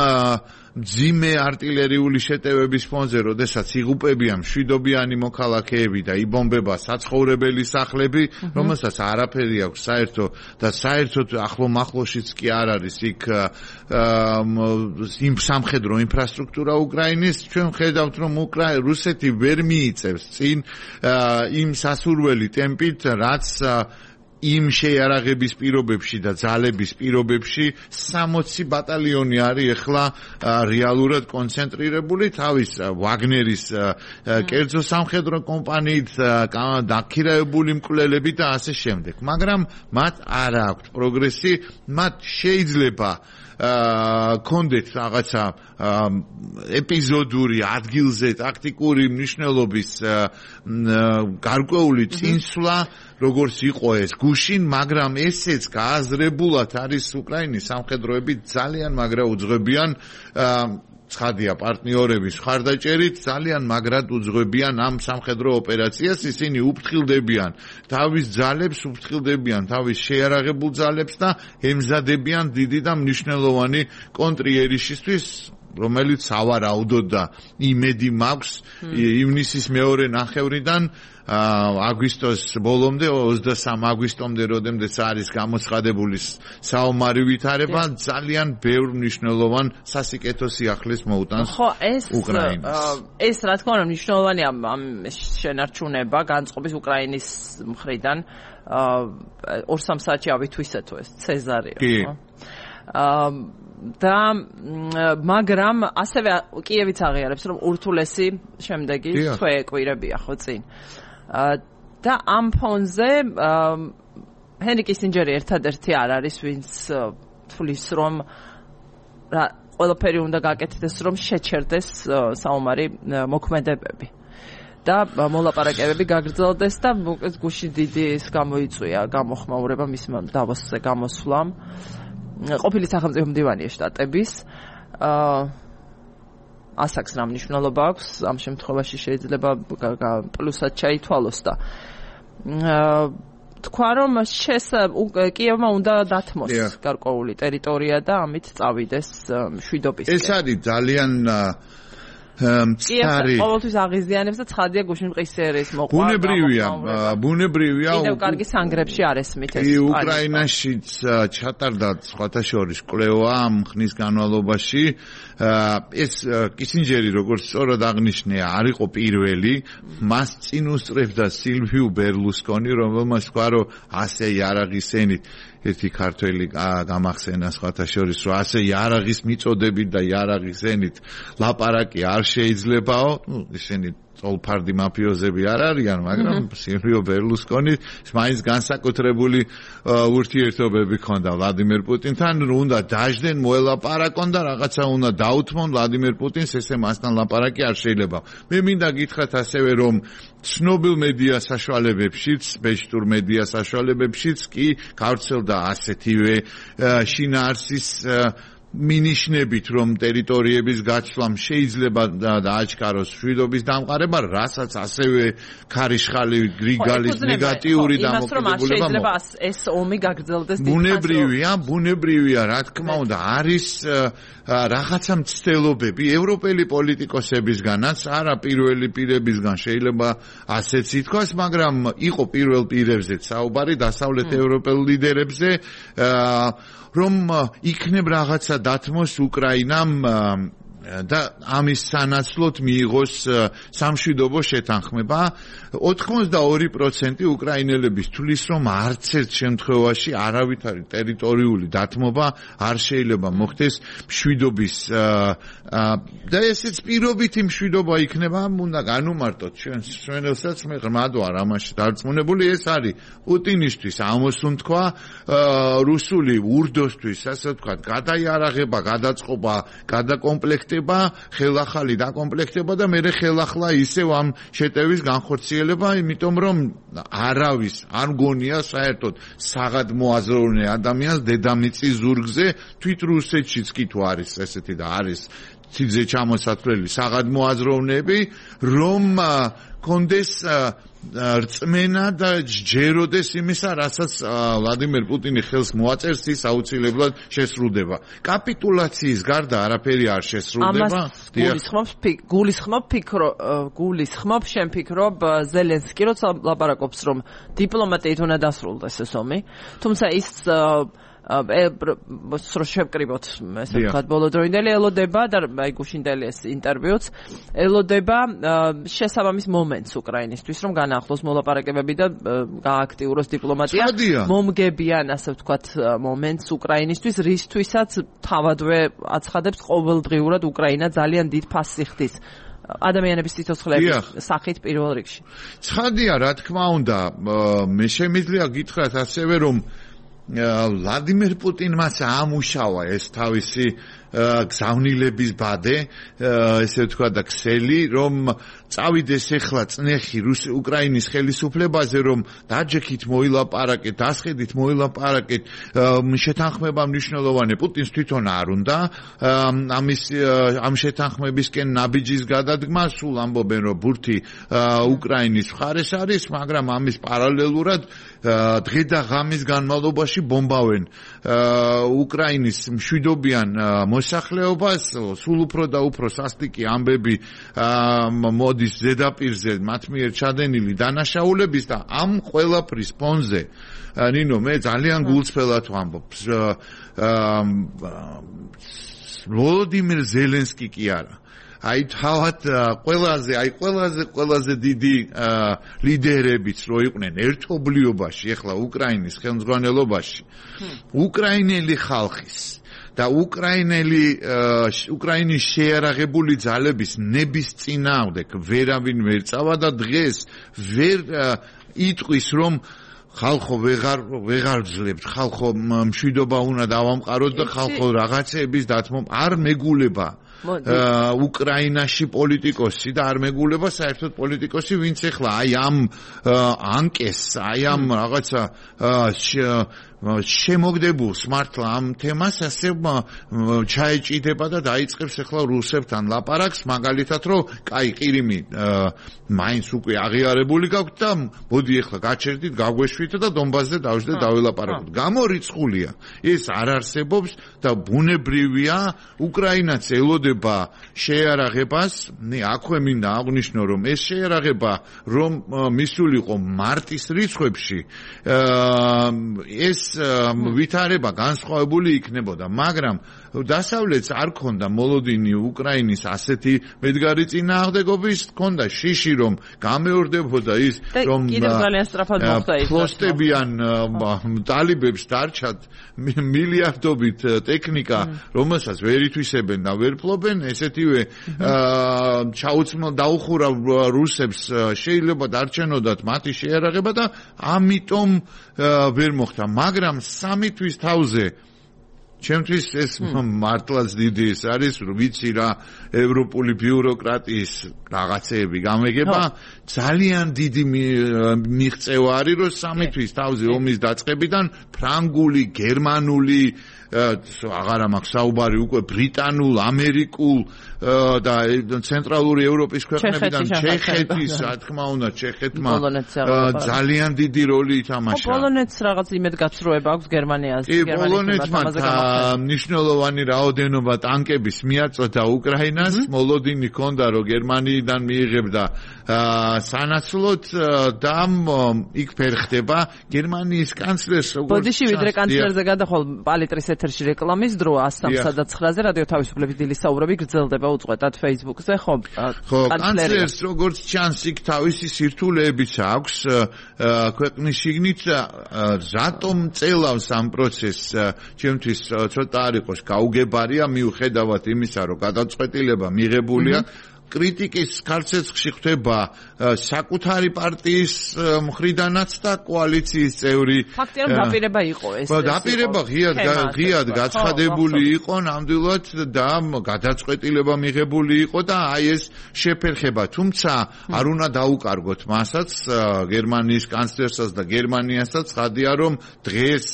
ძიმე არტილერიული შეტევების ფონზე, როდესაც იღუპებიან მშვიდობიანი მოქალაქეები და იბომბება საცხოვრებელი სახლები, რომელსაც არაფერი აქვს საერთო და საერთოდ ახლო-მახლოშიც კი არ არის იქ იმ სამხედრო ინფრასტრუქტურა უკრაინის, ჩვენ ხედავთ, რომ რუსეთი ვერ მიიწევს წინ იმ სასურველი ტემპით, რაც იმ შეიარაღების პირობებში და ძალების პირობებში 60 ბატალიონი არის ახლა რეალურად კონცენტრირებული თავის ვაგნერის კერძო სამხედრო კომპანიით დაქირავებული მკვლელებით და ასე შემდეგ. მაგრამ მათ არ აქვს პროგრესი, მათ შეიძლება კონდეთ რაღაცა ეპიზოდური ადგილზე ტაქტიკური მნიშვნელობის გარკვეული წინსვლა როგორც იყო ეს გუშინ, მაგრამ ესეც გააზრებულად არის უკრაინის სამხედროები ძალიან მაგრა უძღვებიან ცხადია პარტნიორების მხარდაჭერით ძალიან მაგრად უძღვებიან ამ სამხედრო ოპერაციას, ისინი უფრთხილდებიან თავის ძალებს, უფრთხილდებიან თავის შეიარაღებულ ძალებს და ემზადებიან დიდი და მნიშვნელოვანი კონტრიერიშისთვის, რომელიც სავარაუდოდ და იმედი მაქვს ივნისის მეორე ნახევრიდან აგვისტოს ბოლომდე 23 აგვისტომდე როდემდეც არის გამოცხადებული საომარი ვითარება ძალიან ბევრ მნიშვნელოვან სასიკეთო სიახლეს მოუტანს უკრაინას. ეს რა თქმა უნდა მნიშვნელოვანია ამ შენარჩუნება განწყობის უკრაინის მხრიდან 2-3 საათში ავითვისეთო ეს ცეზარიო. და მაგრამ ასევე კიევიც აღიარებს რომ ურთულესი შემდეგი თვე კვირებია ხო წინ. და ამ ფონზე ჰენრი კისინჯერი ერთადერთი არ არის ვინც თulis რომ ყველაფერი უნდა გაკეთდეს რომ შეჩერდეს საომარი მოქმედებები და მოლაპარაკებები გაგრძელდეს და გუშინ დიდი ის გამოიწვია გამოხმაურება მისმა დავოსზე გამოსვლამ ყოფილი სახელმწიფო მდივანი შტატების ასაკს რა მნიშვნელობა აქვს ამ შემთხვევაში შეიძლება პლუსად ჩაითვალოს და თქვა რომ კიევმა უნდა დათმოს გარკვეული ტერიტორია და ამით წავიდეს მშვიდობისკენ. ეს არის ძალიან მწარი ყოველთვის აღიზიანებს და ცხადია გუშინ ყისერის მოყვა ბუნებრივია კიდევ კარგი სანგრებში არ ესმით ეს უკრაინაშიც ჩატარდა სხვათა შორის კვლევა ამ ხნის განმავლობაში ეს კისინჯერი როგორც სწორად აღნიშნია არ იყო პირველი მას წინ უსწრებდა სილვიუ ბერლუსკონი რომელმაც თქვა რომ ასე იარაღისენით ერთი ქართველი გამახსენა სხვათა შორის რომ ასე იარაღის მიწოდებით და იარაღისენით ლაპარაკი არ შეიძლებაო ისინი წოლფარდი მაფიოზები არ არიან მაგრამ სილვიო ბერლუსკონი მაინც განსაკუთრებული ურთიერთობები ჰქონდა ვლადიმერ პუტინთან უნდა დაждენ მოელაპარაკონ და რაღაცა უნდა დაუთმონ ვლადიმერ პუტინს ესე მასთან ლაპარაკი არ შეიძლება მე მინდა გითხრათ ასევე რომ ცნობილ მედია საშუალებებშიც ბეჭდურ მედია საშუალებებშიც კი გავრცელდა ასეთივე შინაარსის მინიშნებით რომ ტერიტორიების გაცვლამ შეიძლება დააჩქაროს მშვიდობის დამყარება, რასაც ასევე ქარიშხალი გრიგალის ნეგატიური დამოკიდებულება შეიძლება ეს ომი გაგრძელდეს ბუნებრივია, რა თქმა უნდა, არის რაღაცა მცდელობები ევროპელი პოლიტიკოსებისგანაც, არა პირველი პირებისგან შეიძლება ასეც ითქვას, მაგრამ იყო პირველ პირებზეც საუბარი დასავლეთ ევროპელ ლიდერებზე რომ იქნებ რაღაცა დათმოს უკრაინამ და ამის სანაცვლოდ მიიღოს სამშვიდობო შეთანხმება 82% უკრაინელების თვლის რომ არც ერთ შემთხვევაში არავითარი ტერიტორიული დათმობა არ შეიძლება მოხდეს მშვიდობის და ესეც პირობითი მშვიდობა იქნება უნდა განუმარტოთ ჩვენელსაც მე ღრმად ვარ ამაში დარწმუნებული ეს არის პუტინისთვის ამოსუნ თქვა რუსული ურდოსთვის ასე ვთქვათ გადაიარაღება გადაწყობა გადაკომპლექტება ხელახალი დაკომპლექტება და მერე ხელახლა ისევ ამ შეტევის განხორციელება, იმიტომ რომ არავის არ მგონია საერთოდ საღად მოაზროვნე ადამიანს დედამიწის ზურგზე თვით რუსეთშიც კი თუ არის ესეთი და არის ცივზე ჩამოსათვლელი საღადმო აზროვნეები, რომ კონდეს რწმენა და ჯეროდეს იმისა, რასაც ვლადიმერ პუტინი ხელს მოაწერს, ის აუცილებლად შესრულდება. კაპიტულაციის გარდა არაფერი არ შესრულდება. გულისხმობ, შენ ფიქრობ ზელენსკი როცა ლაპარაკობს, რომ დიპლომატიით უნდა დასრულდეს ეს ომი, თუმცა ის შევკრიბოთ ესე ვთქვათ ბოლოდროინდელი ელოდება და აი გუშინდელი ეს ინტერვიუც ელოდება შესაბამის მომენტს უკრაინისთვის რომ განაახლოს მოლაპარაკებები და გააქტიუროს დიპლომატია მომგებიან ასე ვთქვათ მომენტს უკრაინისთვის რისთვისაც თავადვე აცხადებს ყოველდღიურად უკრაინა ძალიან დიდ ფასს იხდის ადამიანების სიცოცხლეების სახით პირველ რიგში ცხადია რა თქმა უნდა მე შემიძლია გითხრათ ასევე რომ ვლადიმერ პუტინმაც ამუშავა ეს თავისი გზავნილების ბადე, ესე ვთქვა და ქსელი, რომ წავიდეს ახლა წნეხი უკრაინის ხელისუფლებაზე, რომ დაჯექით მოილაპარაკეთ, დასხედით მოილაპარაკეთ, შეთანხმება მნიშვნელოვანი პუტინს თვითონ არ უნდა, ამ შეთანხმებისკენ ნაბიჯის გადადგმა, სულ ამბობენ, რომ ბურთი უკრაინის მხარეს არის, მაგრამ ამის პარალელურად დღე და ღამის განმავლობაში ბომბავენ უკრაინის მშვიდობიან მოსახლეობას, სულ უფრო და უფრო სასტიკი ამბები მოდის ზედაპირზე მათ მიერ ჩადენილი დანაშაულების და ამ ყველაფრის ფონზე ნინო მე ძალიან გულწრფელად ვამბობ ვლადიმერ ზელენსკი კი არა აი თავად ყველაზე დიდი ლიდერებიც რო იყვნენ ერთობლიობაში ახლა უკრაინის ხელმძღვანელობაში უკრაინელი ხალხის და უკრაინის შეიარაღებული ძალების ნების წინააღმდეგ ვერავინ ვერ წავა და დღეს ვერ იტყვის რომ ხალხო ვეღარ ვძლებთ ხალხო მშვიდობა უნდა დავამყაროთ და ხალხო რაღაცების დათმობ არ მეგულება უკრაინაში პოლიტიკოსი და არ მეგულება საერთოდ პოლიტიკოსი ვინც ახლა აი ამ ანკეს აი ამ რაღაცა შემოგდებულს მართლა ამ თემას ასე ჩაეჭიდება და დაიწყებს ახლა რუსებთან ლაპარაკს მაგალითად რომ კაი ყირიმი მაინც უკვე აღიარებული გაქვთ და მოდი ახლა გაჩერდით გაგვეშვით და დონბასზე დავждეთ დავილაპარაკოთ გამორიცხულია ეს არ არსებობს და ბუნებრივია უკრაინაც ელოდება შეიარაღებას აქვე მინდა აღვნიშნო რომ ეს შეიარაღება რომ მისულიყო მარტის რიცხვებში ეს ვითარება განსხვავებული იქნებოდა, მაგრამ დასავლეთს არ ქონდა მოლოდინი უკრაინის ასეთი მედგარი წინააღმდეგობის, ქონდა შიში რომ გამეორდებოდა ის რომ კიდევ ძალიან სწრაფად მოხდა ის ფლოსტებიან ტალიბებს დარჩათ მილიარდობით ტექნიკა, რომელსაც ვერ ითვისებენ და ვერ ფლობენ, ესეთივე დაუხურა რუსებს შეიძლება დარჩენოდათ მათი შეიარაღება და ამიტომ ვერ მოხდა, მაგრამ სამი თვის თავზე ჩემთვის ეს მართლაც დიდი ის არის, ვიცი რა ევროპული ბიუროკრატიის რაღაცეები გამეგება, ძალიან დიდი მიღწევა არის, რომ სამი თვის თავზე ომის დაწყებიდან ფრანგული, გერმანული აღარა მაქვს საუბარი უკვე ბრიტანულ, ამერიკულ და ცენტრალური ევროპის ქვეყნებიდან ჩეხეთის, რა თქმა უნდა, ჩეხეთმა ძალიან დიდი როლი ითამაშა. პოლონეთს რაღაც იმედგაცრუება აქვს გერმანიას, პოლონეთმა მნიშვნელოვანი რაოდენობა ტანკების მიაწოდა უკრაინას, მოლოდინი ჰქონდა, რომ გერმანიიდან მიიღებდა სანაცვლოდ და იქ ფერხდება გერმანიის კანცლერს როგორც ბოდიში ვიდრე კანცლერზე გადახვალ პალიტრის ეთერში რეკლამის დრო 103-ზე რადიო თავისუფლების დილის საუბრები გრძელდება უწყვეტად Facebook-ზე ხო კანცლერს როგორც ჩანს იქ თავისი სირთულეებიც აქვს ქვეყნის შიგნით რატომ წელავს ამ პროცესს ჩემთვის ცოტა არ იყოს გაუგებარია მიუხედავად იმისა რომ გადაწყვეტილება მიღებულია კრიტიკის ქარცეცხლში ხდება საკუთარი პარტიის მხრიდანაც და კოალიციის წევრი. ფაქტია რომ დაპირება იყო ეს. დაპირება ღიად გაცხადებული იყო ნამდვილად და გადაწყვეტილება მიღებული იყო და აი ეს შეფერხება. თუმცა არ უნდა დაუკარგოთ მასაც გერმანიის კანცლერსაც და გერმანიასაც ხადია რომ დღეს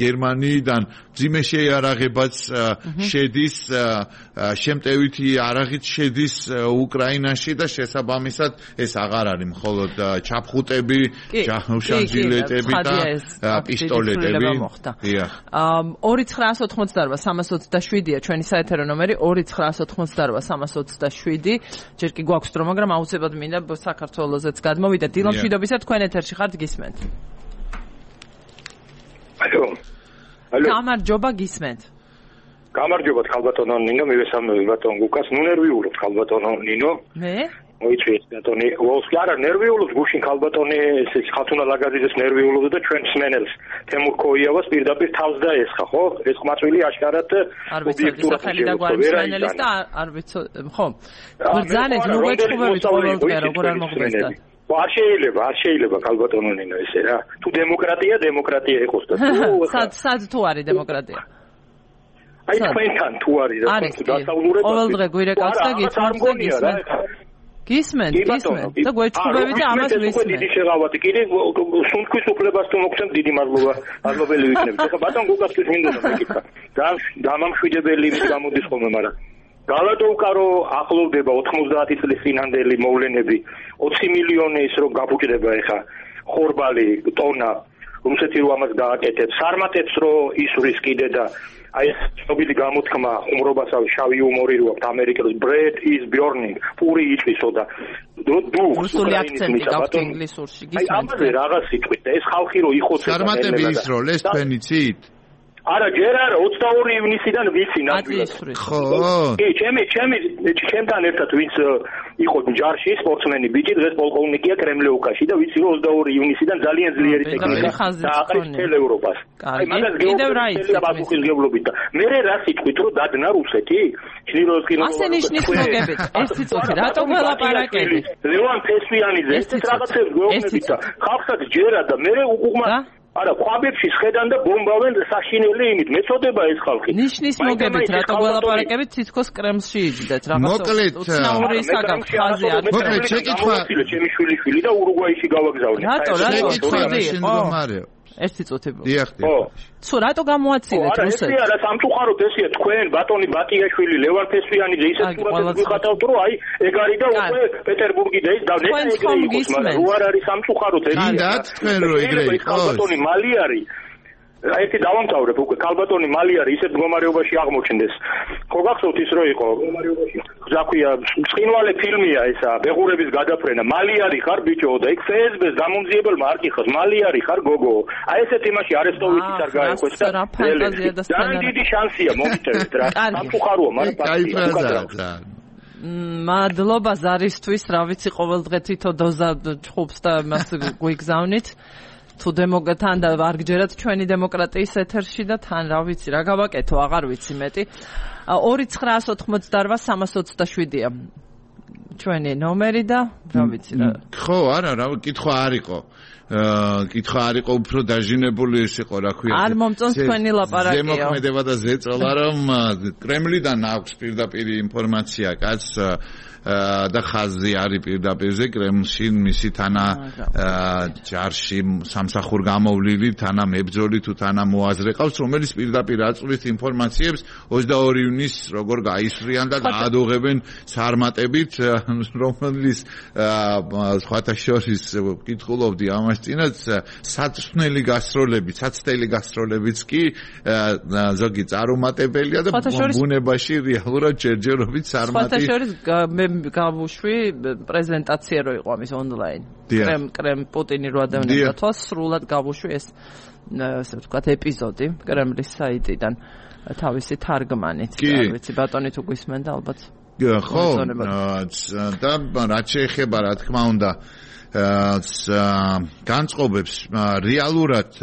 გერმანიიდან ძიმე შეიარაღებაც შედის შემტევითი არაღით შედის უკრაინაში და შესაბამისად ეს აღარ არის მხოლოდ ჩაფხუტები, ჟანჟილეტები და პისტოლეტები. 2988-327-ია ჩვენი საეთერო ნომერი 2988-327. ჯერ კი გვაქვს დრო, მაგრამ აუცილებლად მინდა საქართველოსეც გადმოვიდა. დილა მშვიდობისა, თქვენ ეთერში ხართ, გისმენთ. ალო. გამარჯობა, გისმენთ. გამარჯობა, ხალბატონო ნინო, მივესალმები ბატონ გუკას. ნუ ნერვიულობ ხალბატონო ნინო. მე? მოიწვიეს ბატონი. ვოლსკი არა ნერვიულობ გუშინ ხალბატონი ეს ხათუნა ლაგაძიძეს ნერვიულობდა და ჩვენ სმენელს თემურ ქოიავას პირდაპირ თავს დაესხა, ხო? ეს ყმაწვილი აშკარად ობიექტურად ხელი და გვარი სმენელის და არ ვიცი, ხო? ბრძანეთ ნუ გეჩხუბებით ყოველდღე როგორ არ მოხდება. არ შეიძლება ხალბატონო ნინო ესე რა. თუ დემოკრატია იყოს და თუ სად თუ არის დემოკრატია? აი თქვენთან თუ არის და თუ დასავლურებად ყოველდღე გვირეკავს და გისმენთ. გისმენთ და გვეჩხუბებით და ამას ვისმენთ. დიდი შეღავათი კიდე სუნთქვის უფლებას თუ მოგცემ დიდი მადლობელი ვიქნებით. ეხლა ბატონ გუკასთვის მინდა მეკითხა. დამამშვიდებელი ის გამოდის ხოლმე, მაგრამ გალადოვკარო ახლოვდება 90 წლის წინანდელი მოვლენები 20 მილიონი ის რომ გაბუჭდება ეხა ხორბალი ტონა რუსეთი რო ამას გააკეთებს სარმატებს რო ისვრის კიდე და აი ეს ცნობილი გამოთქმა ხუმრობასა შავი იუმორი რო აქვს ამერიკელს bread is burning პური იწვისო და რუსული აქცენტი გაქვს ინგლისურში გისმენთ აი ამაზე რაღაც სიტყვით და ეს ხალხი რო იხოცება სარმატები ის რო ეს თქვენი ცით არა ჯერ არა 22 ივნისიდან ვიცი ნამდვილად ხო კი ჩემთან ერთად ვინც იყო ჯარში სპორტსმენი ბიჭი დღეს პოლკოვნიკია კრემლეუკაში და ვიცი რომ 22 ივნისიდან ძალიან ძლიერი ტექნიკა დააყრეს მთელ ევროპას აი მაგას კიდევ რა იცით პასუხისმგებლობით და მე რა სიტყვით რომ დადნა რუსეთი ჩრილოვსკი ასე ნიშნის მოგებით ეს სიტყვით რატო გველაპარაკებით ლევან ფესვიანიძე ეს რაღაცებს გვეუბნებით და ხალხსაც ჯერა და მე უყუღმა არა, ყვაბებში შედან და ბომბავენ საშინელი იმით. მეწოდება ეს ხალხი. ნიშნის მოგებით, რატო გველაპარაკებით, თითქოს კრემლში იჯდეთ, რაღაცა. მოკლედ, უცნაური საგახ ხაზი არის. მოკლედ, შეკითხვა ჩემი შვილი და ურუგვაიში გავაგზავნე. რატო შეგითხვა ერთი წუთი. დიახ. ხო, რატო გამოაცილეთ რუსეთს? არა, სამწუხაროდ ესეა თქვენ ბატონი ბატიაშვილი, ლევან ფესვიანიძე ისეთ სურათებს ვიხატავთ, რომ აი ეგ არის და უკვე პეტერბურგი და ის და ნეტა არ არის სამწუხაროდ ეს. გინდათ თქვენ რო ეგრე იყოს. ბატონი მალი არის. ერთი დავამთავრებ უკვე ქალბატონი მალი არის ისეთ მდგომარეობაში აღმოჩნდეს. ხო გახსოვთ ის რო იყო მდგომარეობაში. ზაქვია ცხინვალე ფილმია ესა ბეღურების გადაფრენა. მალი არის ხარ ბიჭო და იქ ფსბ-ს დამომძიებელმა არ კითხოს მალი არის ხარ გოგო. აი ესეთ იმაში არესტოვიჩიც არ გაეკვეს და ძალიან დიდი შანსია მომიტევეთ რა. სამწუხაროა მაგრამ მადლობა ზარისთვის, რა ვიცი ყოველდღე თითო დოზა ჩხუბს და მას გვიგზავნით. თუ თან და არ გჯერათ ჩვენი დემოკრატიის ეთერში და თან რა ვიცი რა გავაკეთო აღარ ვიცი მეტი 2988-327-ია ჩვენი ნომერი და რა ვიცი რა ხო არა რა კითხვა არ იყო უფრო დაჟინებული ის იყო რა ქვია არ მომწონს თქვენი ლაპარაკია ზემოქმედება და ზეწოლა რომ კრემლიდან აქვს პირდაპირ ინფორმაცია კაც და ხაზი არის პირდაპირზე კრემლში მისი თანა ჯარში სამსახურ გამოვლილი თანა მებრძოლი თუ თანა მოაზრე ყავს რომელიც პირდაპირ აწვდის ინფორმაციებს 22 ივნისს როგორ გაისვრიან და გაადოღებენ სარმატებით რომელიც სხვათა შორის ვკითხულობდი ამას წინაც საცდელი გასტროლებიც კი ზოგი წარუმატებელია და ბუნებაში რეალურად ჯერჯერობით სარმატი გავუშვი პრეზენტაცია რო იყო ამის ონლაინ კრემ პუტინი რო ადევნებდა თვალს სრულად გავუშვი ეს ასე ვთქვათ ეპიზოდი კრემლის საიტიდან თავისი თარგმანით არ ვიცი ბატონი თუ გვისმენდა ალბათ ხო და რაც შეეხება რა თქმა უნდა განწყობებს რეალურად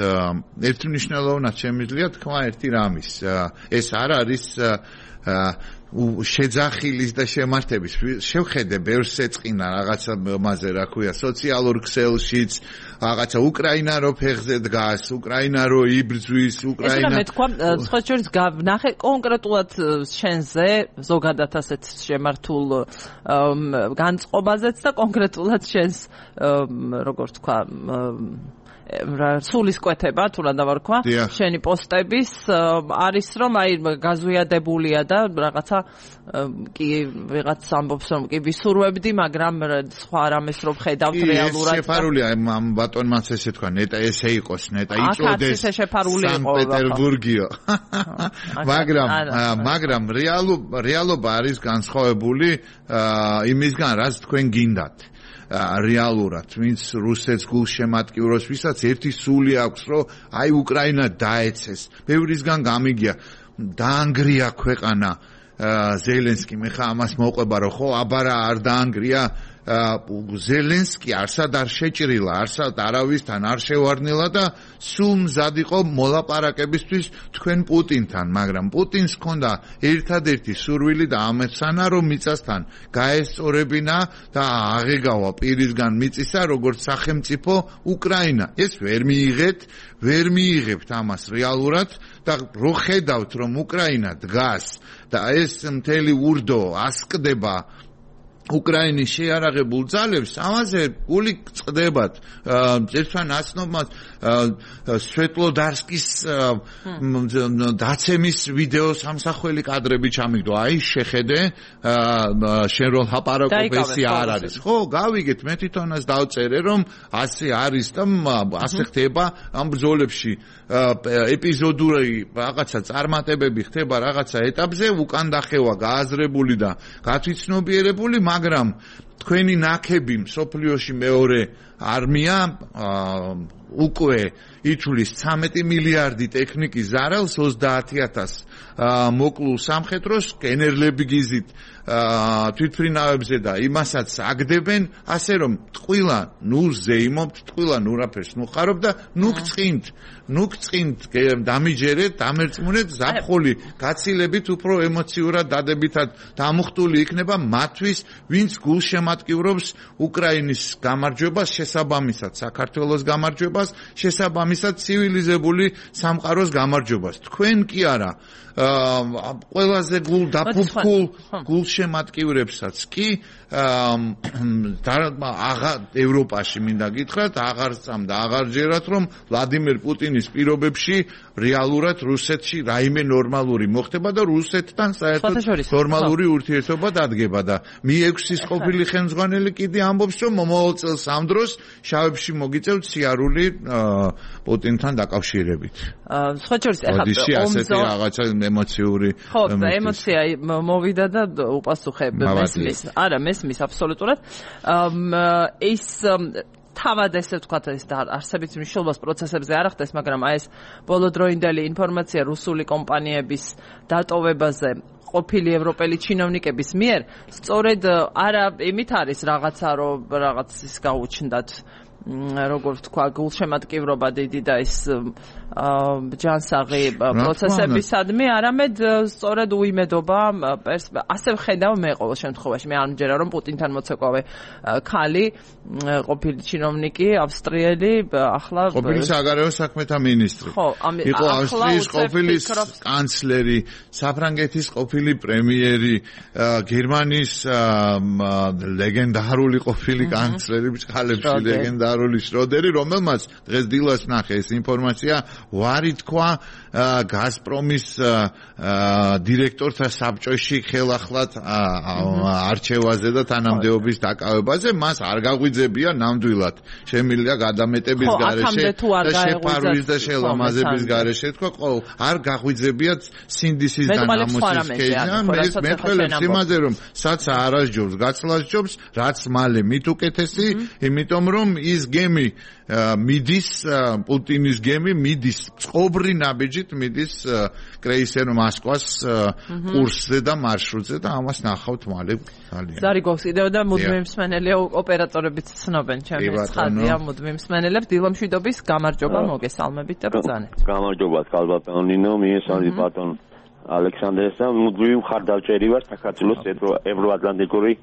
ერთმნიშვნელოვნად შემიძლია თქვა ერთი რამის ეს არ არის შეძახილის და შემართების შევხედე ბევრს ეწყინა რაღაცა მასე რა ქვია სოციალურ ქსელშიც რაღაცა უკრაინა რო ფეხზე დგას უკრაინა რო იბრძვის უკრაინა ეს მე თქვა სხვა შორის ნახე კონკრეტულად შენზე ზოგადად ასეთ შემართულ განწყობაზეც და კონკრეტულად შენს როგორ თქვა სულისკვეთება, თუ რა დავარქვა, შენი პოსტების არის რომ აი გაზვიადებულია და რაღაცა კი ვიღაც ამბობს რომ კი ვისურვებდი, მაგრამ სხვა რამეს რომ ხედავთ რეალურად. ეს შეფარულია ამ ბატონმაც ესე თქვა, ნეტა ესე იყოს, ნეტა იწოდეს სანქტ-პეტერბურგიო. მაგრამ რეალობა არის განსხვავებული იმისგან, რაც თქვენ გინდათ. რეალურად, ვინც რუსეთს გულშემატკივროს, ვისაც ერთი სული აქვს, რომ აი უკრაინა დაეცეს. ბევრისგან გამიგია, დაანგრია ქვეყანა ზელენსკი, მე ხა ამას მოყვება, რომ ხო, აბარა არ დაანგრია ზელენსკი არსად არ შეჭრილა, არსად არავისთან არ შევარდნილა და სულ მზად იყო მოლაპარაკებისთვის თქვენ პუტინთან, მაგრამ პუტინს ჰქონდა ერთადერთი სურვილი და ამეცანა, რომ მიწასთან გაესწორებინა და აღეგავა პირისგან მიწისა, როგორც სახელმწიფო უკრაინა. ეს ვერ მიიღებთ ამას რეალურად და რო ხედავთ, რომ უკრაინა დგას და ეს მთელი ურდო ასკდება უკრაინის შეარაღებულ ძალებს, ამაზე გული წდებათ. ერთმა ნაცნობმა სვეტლოდარსკის დაცემის ვიდეო სამსახველი კადრები ჩამიგდო. აი შეხედე, შენ რო ლაპარაკობ ესე არ არის. ხო, გავიგეთ, მე თვითონაც დავწერე, რომ ასე არის და ასე ხდება ამ ბრძოლებში. ეპიზოდური რაღაცა წარმატებები ხდება რაღაცა ეტაპზე, უკან დახევა გააზრებული და გათვითცნობიერებული, მაგრამ თქვენი ნაკები მსოფლიოში მეორე არმია უკვე ითვლის 13 მილიარდი ტექნიკის ზარალს 30,000 მოკლულ სამხედროს კენერლები გიზით თვითფრინავებზე და იმასაც აგდებენ, ასე რომ ტყუილა ნუ ზეიმობთ, ტყუილა ნუ რაფერს ნუ ხარობ და ნუ გწყინთ დამიჯერეთ, დამერწმუნეთ, ზაფხული გაცილებით უფრო ემოციურად დადებითად დამუხტული იქნება მათთვის, ვინც გულშემატკივრობს უკრაინის გამარჯვებას, შესაბამისად საქართველოს გამარჯვებას, შესაბამისად ცივილიზებული სამყაროს გამარჯვებას. თქვენ კი არა, ყველაზე გულდაფუფკულ გულშემატკივრებსაც კი ევროპაში მინდა გითხრათ, აღარ წამდა, აღარ ჯერათ, რომ ვლადიმერ პუტინის პირობებში რეალურად რუსეთში რაიმე ნორმალური მოხდება და რუსეთთან საერთოდ ნორმალური ურთიერთობა დადგება და Mi-6-ის ყოფილი ხელმძღვანელი კიდე ამბობს, რომ მომავალ წელს ამ დროს შავებში მოგიწევთ სიარული პუტინთან დაკავშირებით. სხვა შორის ეხლა ასეთი რაღაცა ემოციური ხო, ემოცია მოვიდა და უპასუხე მესმის. არა, მესმის აბსოლუტურად. ის თავად ესე ვთქვათ, ეს არსებით მნიშვნელობას პროცესებზე არ ახდენს, მაგრამ აი ეს ბოლოდროინდელი ინფორმაცია რუსული კომპანიების დატოვებაზე ყოფილი ევროპელი ჩინოვნიკების მიერ, სწორედ არა იმით არის რაღაცა, რომ რაღაც ის გაუჩნდათ როგორ ვთქვა, გულშემატკივრობა დიდი და ის ჯანსაღი პროცესებისადმი, არამედ სწორედ უიმედობა, ასე ვხედავ მე ყოველ შემთხვევაში. მე არ მჯერა, რომ პუტინთან მოცეკვავე ქალი, ყოფილი ჩინოვნიკი, ავსტრიელი, ახლა ყოფილი საგარეო საქმეთა მინისტრი. იყო ავსტრიის ყოფილი კანცლერი, საფრანგეთის ყოფილი პრემიერი, გერმანიის ლეგენდარული ყოფილი კანცლერი, ბჭყალებში ლეგენდარული შროდერი, რომელმაც დღეს დილას ნახე ეს ინფორმაცია, ვარი თქვა გაზპრომის დირექტორთა საბჭოში ხელახლად არჩევაზე და თანამდებობის დაკავებაზე, მას არ გაღვიძებია ნამდვილად. შემიძლია გადამეტების გარეშე და შეფარვის და შელამაზების გარეშე თქვა, არ გაღვიძებიათ სინდისის და ნამოსის ქეჯა, მე ხელებს იმაზე, რომ საცა არ ასჯობს, გაცლას ჯობს, რაც მალე მით უკეთესი, იმიტომ რომ ის გემი მიდის, პუტინის გემი მიდის წყობრი ნაბიჯით, მიდის კრეისერ მოსკვას კურსზე და მარშრუტზე და ამას ნახავთ მალე ძალიან. ზარი გვაქვს კიდევ და მუდმივი მსმენელია, ოპერატორებიც ცნობენ ჩემი ცხადია მუდმივი მსმენელებს. დილამშვიდობის გამარჯობა, მოგესალმებით და ბრძანეთ. გამარჯობა, კალბატონ ნინო, მიესალმებით ბატონ ალექსანდრეს და მუდმივი მხარდაჭერი ვარ საქართველოს ევროატლანტიკური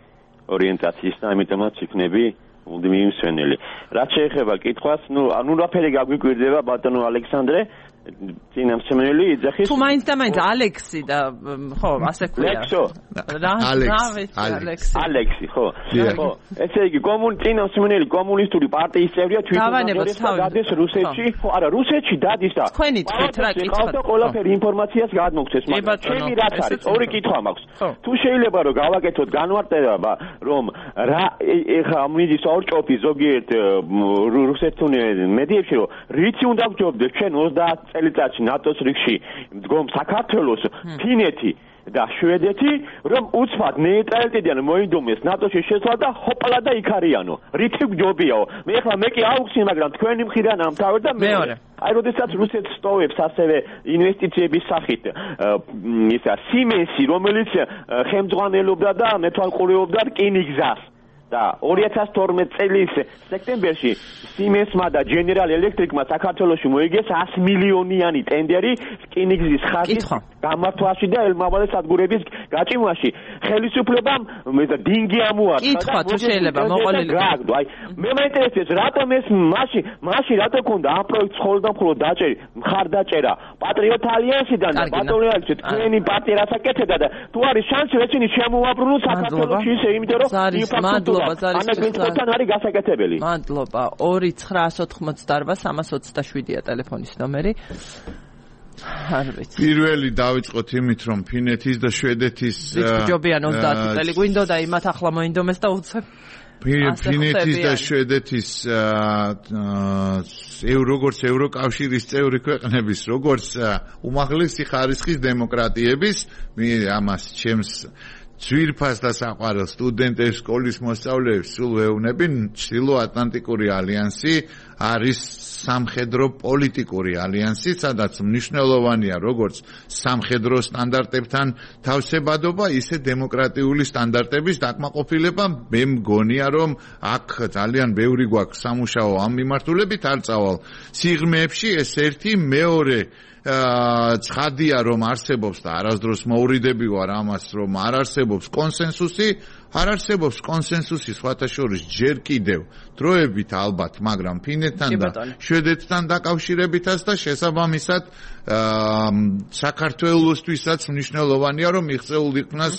ორიენტაციის და ამიტომაც იქნები მუდმივი მსმენელი. რაც შეეხება კითხვას, ნუ რაფერი გაგვიკვირდება ბატონო ალექსანდრე, წინამძღოლი იძახის თუ მაინც და მაინც ალექსი და ხო ასე ქვია ალექსი ხო ესე იგი წინამძღოლი კომუნისტური პარტიის წევრია თვითონ დადეს რუსეთში ხო არა რუსეთში დადის და თქვენი თვით რა კითხავთ და ყველაფერი ინფორმაციას გადმოგცეს მაგრამ ჩემი რაც არის ორი კითხვა მაქვს თუ შეიძლება რომ გავაკეთოთ განმარტება რომ რა ეხა მიდის ორჭოფი ზოგიერთ რუსეთთან მედიებში რომ რითი უნდა გჯობდეს ჩვენ 30 წელიწადში ნატოს რიგში მდგომ საქართველოს ფინეთი და შვედეთი რომ უცბად ნეიტრალიტეტიდან მოინდომეს ნატოში შესვლა და ჰოპლა და იქარიანო რითი გჯობიაო მე კი აუხსნი მაგრამ თქვენი მხრიდან ამთავრდა და მეორე აი როდესაც რუსეთს სტოვებს ასევე ინვესტიციების სახით ისა სიმენსი რომელიც ხელმძღვანელობდა და მეთვალყურეობდა რკინიგზას და 2012 წლის სექტემბერში Siemens-მა და General Electric-მა საქართველოში მოიგეს 100 მილიონიანი ტენდერი რკინიგზის ხაზის გამართვაში და ელმავალი სადგურების გაჭიმვაში. ხელისუფლებამ დინგი ამოარტყა. კითხვა თუ შეიძლება მოყოლილი. აი მე მაინტერესებს რატომ ეს მაშინ რატო ქონდა ამ პროექტს ხოლმე დაჭერი მხარდაჭერა პატრიოტ ალიანსიდან და ბატონეალში თქვენი პარტია რაც აკეთებდა და თუ არის შანსი ეცინი შემოაბრუნოს საქართველოში ისე იმიტომ რომ ანაგენთან არის გასაკეთებელი. მადლობა 2988-327-ია ტელეფონის ნომერი. პირველი დავიწყოთ იმით რომ ფინეთის და შვედეთის ჯობიან 30 წელი გვინდოდა იმათ ახლა მოინდომეს და უცებ ფინეთის და შვედეთის როგორც ევროკავშირის წევრი ქვეყნების როგორც უმაღლესი ხარისხის დემოკრატიების მე ამას ჩემს ძვირფას და საყვარელ სტუდენტებს სკოლის მოსწავლეებს სულ ვეუბნები ჩრდილო-ატლანტიკური ალიანსი არის სამხედრო პოლიტიკური ალიანსი სადაც მნიშვნელოვანია როგორც სამხედრო სტანდარტებთან თავსებადობა ისე დემოკრატიული სტანდარტების დაკმაყოფილება მე მგონია რომ აქ ძალიან ბევრი გვაქვს სამუშაო ამ მიმართულებით არ წავალ სიღრმეებში ეს ერთი მეორე ცხადია რომ არსებობს და არასდროს მოურიდები ვარ ამას რომ არ არსებობს კონსენსუსი სხვათა შორის ჯერ კიდევ დროებით ალბათ მაგრამ ფინეთთან და შვედეთთან დაკავშირებითაც და შესაბამისად საქართველოსთვისაც მნიშვნელოვანია რომ მიღწეულ იქნას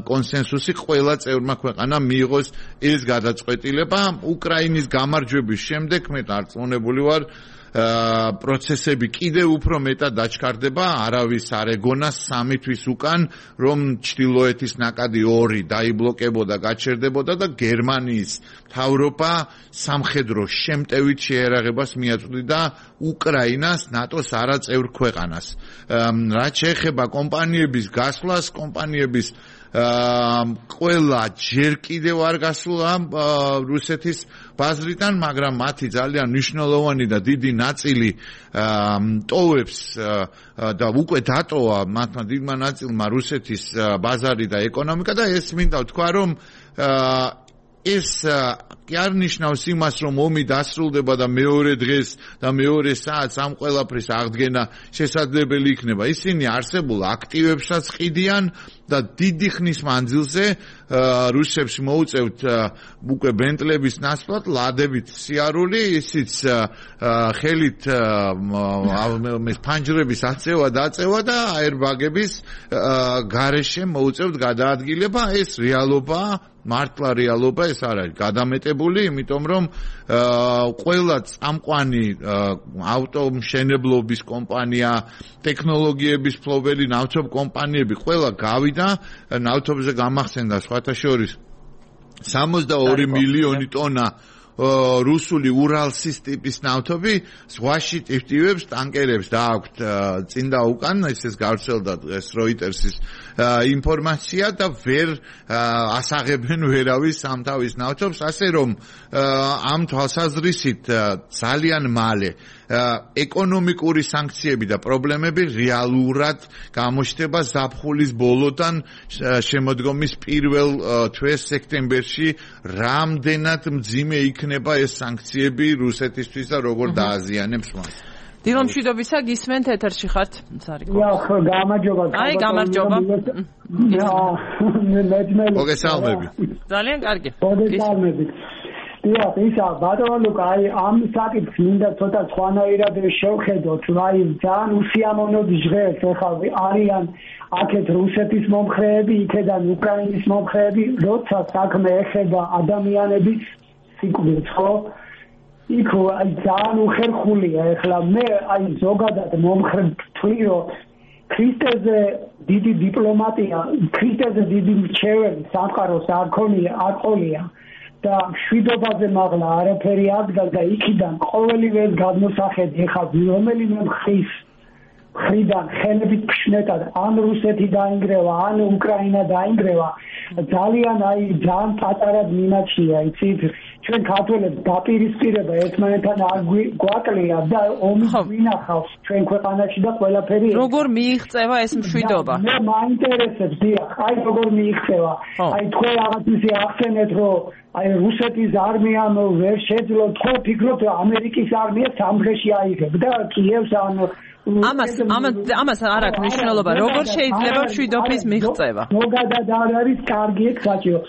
კონსენსუსი ყველა წევრმა ქვეყანამ მიიღოს ეს გადაწყვეტილება უკრაინის გამარჯვების შემდეგ მე დარწმუნებული ვარ პროცესები კიდევ უფრო მეტად დაჩქარდება არავის არ ეგონა 3 თვის უკან რომ ჩრდილოეთის ნაკადი 2 დაიბლოკებოდა გაჩერდებოდა და გერმანიის მთავრობა სამხედრო შემტევით შეერაღებას მიაწვდიდა უკრაინას ნატოს არაწევრ ქვეყანას რაც შეეხება კომპანიების გასვლას კომპანიების ყველა ჯერ კიდევ არ გასულა რუსეთის ბაზრიდან, მაგრამ მათი ძალიან მნიშვნელოვანი და დიდი ნაწილი ტოვებს და უკვე დატოვა მათმა დიდმა ნაწილმა რუსეთის ბაზარი და ეკონომიკა და ეს მინდა ვთქვა რომ ეს კი არ ნიშნავს იმას რომ ომი დასრულდება და მეორე დღეს და მეორე საათს ამ ყველაფრის აღდგენა შესაძლებელი იქნება. ისინი არსებულ აქტივებსაც ყიდიან და დიდი ხნის მანძილზე რუსებს მოუწევთ უკვე ბენტლების ნაცვლად ლადებით სიარული ისიც ხელით ფანჯრების აწევა დაწევა და აერბაგების გარეშე მოუწევთ გადაადგილება ეს რეალობაა მართლა რეალობა ეს არ არის გადამეტებული იმიტომ რომ ყველა წამყვანი ავტომშენებლობის კომპანია ტექნოლოგიების ფლობელი ნავთობ კომპანიები ყველა გავიდა ნავთობზე გამახსენდა სხვათა შორის 62 მილიონი ტონა რუსული ურალსის ტიპის ნავთობი ზღვაში ტივტივებს ტანკერებს დააქვთ წინ და უკან ეს გავრცელდა დღეს როიტერსის ინფორმაცია და ვერ ასაღებენ ვერავის სამთავის ნავთობს ასე რომ ამ თვალსაზრისით ძალიან მალე ეკონომიკური სანქციები და პრობლემები რეალურად გამოჩნდება ზაფხულის ბოლოდან შემოდგომის პირველ თვეს სექტემბერში რამდენად მძიმე იქნება ეს სანქციები რუსეთისთვის და როგორ დააზიანებს მას დილომშვიდობისა გისმენთ ეთერში ხართ სარიკო გამარჯობა აი გამარჯობა მოგესალმები ძალიან კარგი მოგესალმებით დიახ, ისა ბატონო ლუკა, აი ამ საკითხს მინდა ცოტა სხვანაირად შევხედოთ, აი ძალიან უსიამოვნოდ ჟღერს, ახლა არიან აქეთ რუსეთის მომხრეები, იქედან უკრაინის მომხრეები, როცა საქმე ეხება ადამიანების სიკვდილს, ხო? იქ აი ძალიან უხერხულია, ახლა მე აი ზოგადად მომხრე ვთვლი, რომ ქრისტეზე დიდი დიპლომატია, ქრისტეზე დიდი მრჩეველი სამყაროს არ ყოლია და მშვიდობაზე მაღლა არაფერი აღდგა და იქიდან ყოველივე გადმოსახედი ეხლა რომელიმე მხრის მხრიდან ხელებით ფშნეტად ან რუსეთი დაინგრევა, ან უკრაინა დაინგრევა, ძალიან პატარად მიმაჩნია, იცით, ჩვენ ქართველებს დაპირისპირება ერთმანეთთან არ გვაკლია და ომი გვინახავს ჩვენ ქვეყანაში და ყველაფერი. როგორ მიიღწევა ეს მშვიდობა? მე მაინტერესებს, დიახ, აი როგორ მიიღწევა. აი თქვენ რაღაც ისე ახსენეთ, რომ აი რუსეთის არმიამ ვერ შეძლო, თქვენ ფიქრობთ, რომ ამერიკის არმია სამგრეში აიღებ და კიევს ან ამას არ აქვს მნიშვნელობა, როგორ შეიძლება მშვიდობის მიღწევა. ზოგადად არ არის კარგი ეგ საჭირო.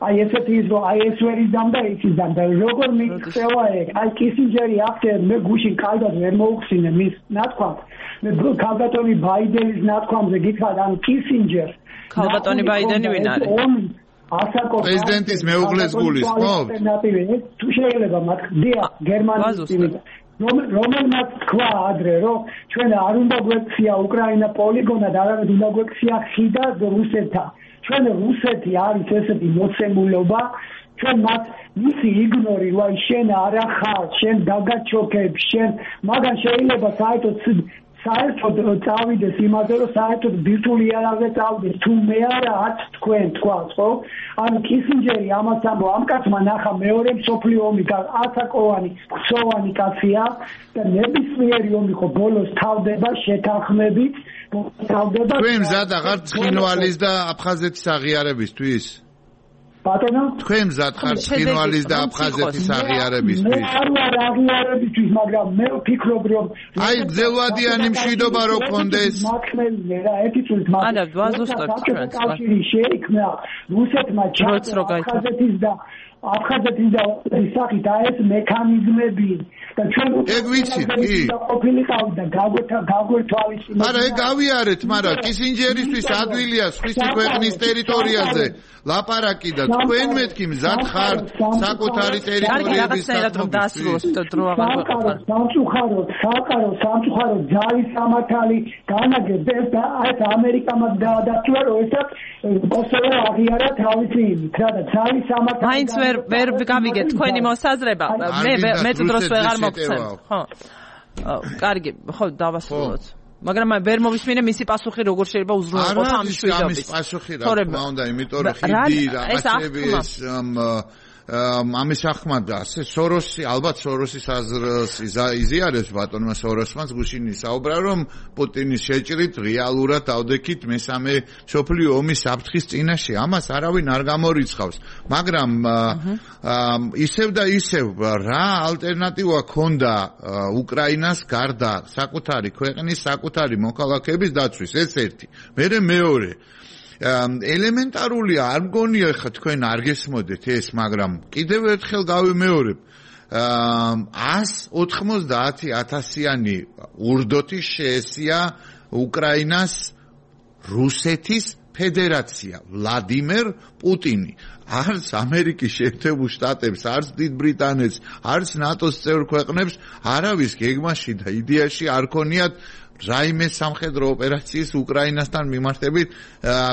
აი ესეთი ის რომ აი ეს ვერ იძამ და ის იძამ და როგორ მიიღწევა ეგ. აი კისინჯერი ახსენე, მე გუშინ კალდად ვერ მოუხსინე მის ნათქვამს. მე ქალბატონი ბაიდენის ნათქვამზე გითხრათ, ან კისინჯერ. ქალბატონი ბაიდენი ვინ არის? პრეზიდენტის მეუღლეს გულისხმობთ? თუ შეიძლება მათ დიახ, გერმანიის რომელმაც თქვა ადრე, რომ ჩვენ არ უნდა გვექცია უკრაინა პოლიგონად, არამედ უნდა გვექცია ხიდად რუსეთთან. ჩვენ რუსეთი არის ესეთი მოცემულობა, ჩვენ მათ მისი იგნორი, ვაი შენ არ ახარ, შენ დაგაჩოქებ, შენ მაგან შეიძლება საერთოდ წავიდეს იმაზე, რომ საერთოდ ბირთვული იარაღზე წავიდეს, თუ მე არა არც თქვენ თქვას, ხო? ანუ კისინჯერი ამას ამბო, ამ კაცმა ნახა მეორე მსოფლიო ომი, ათაკოვანი, ხსოვანი კაცია და ნებისმიერი ომი ხო ბოლოს თავდება შეთანხმებით, თავდება. თქვენ მზად აღარ ცხინვალის და აფხაზეთის აღიარებისთვის? ბატონო, თქვენ მზად ხართ ცხინვალის და აფხაზეთის აღიარებისთვის? მე არ ვარ აღიარებისთვის, მაგრამ მე ვფიქრობ, რომ აი გძელვადიანი მშვიდობა რო გქონდეს. მაქმელია რა, ერთი წუთით მაგრამ ანა ვაზუსტებ ჩვენს. კავშირი შეიქმნა რუსეთმა აფხაზეთის და ისახით ეს მექანიზმები და ჩვენ ეგ ვიცით კი ყოფილიყავ და გაგვერთვალისწინეთ. არა ეგ გავიარეთ, მაგრამ კისინჯერისთვის ადვილია სხვისი ქვეყნის ტერიტორიაზე ლაპარაკი და თქვენ მეთქი მზად ხართ საკუთარი ტერიტორიების დასრულს დრო აღარ გვეყოფა. სამწუხაროდ ძალის სამართალი განაგებს და ეს ამერიკამაც დაადასტურა, რომ ესაც კოსოვო აღიარა თავისი იმით, რა და ძალის სამართალი მაინც ვერ გავიგე თქვენი მოსაზრება. მე დროს ვეღარ მოგცემ. ხო. კარგი, ხო დავასრულოთ. მაგრამ ვერ მოვისმინე მისი პასუხი როგორ შეიძლება უზრუნველყოს ამ მშვიდობის. ამის პასუხი რა თქმა უნდა, იმიტომ რომ ხიდი რაღაცები ეს ამის ახმადა ასე სოროსი, ალბათ სოროსის აზრს იზიარებს ბატონმა სოროსმაც გუშინი საუბრა, რომ პუტინის შეჭრით რეალურად დავდექით მესამე მსოფლიო ომის საფრთხის წინაშე. ამას არავინ არ გამორიცხავს, მაგრამ ისევ და ისევ რა ალტერნატივა ქონდა უკრაინას გარდა საკუთარი ქვეყნის, საკუთარი მოქალაქეების დაცვის, ეს ერთი. მეორე ელემენტარულია, არ მგონია ხა თქვენ არ გესმოდეთ ეს, მაგრამ კიდევ ერთხელ გავიმეორებ. 190,000-იანი ურდოთი შეესია უკრაინას რუსეთის ფედერაცია, ვლადიმერ პუტინი. არც ამერიკის შეერთებულ შტატებს, არც დიდ ბრიტანეთს, არც ნატოს წევრ ქვეყნებს არავის გეგმაში და იდეაში არ ქონიათ რაიმე სამხედრო ოპერაციის უკრაინასთან მიმართებით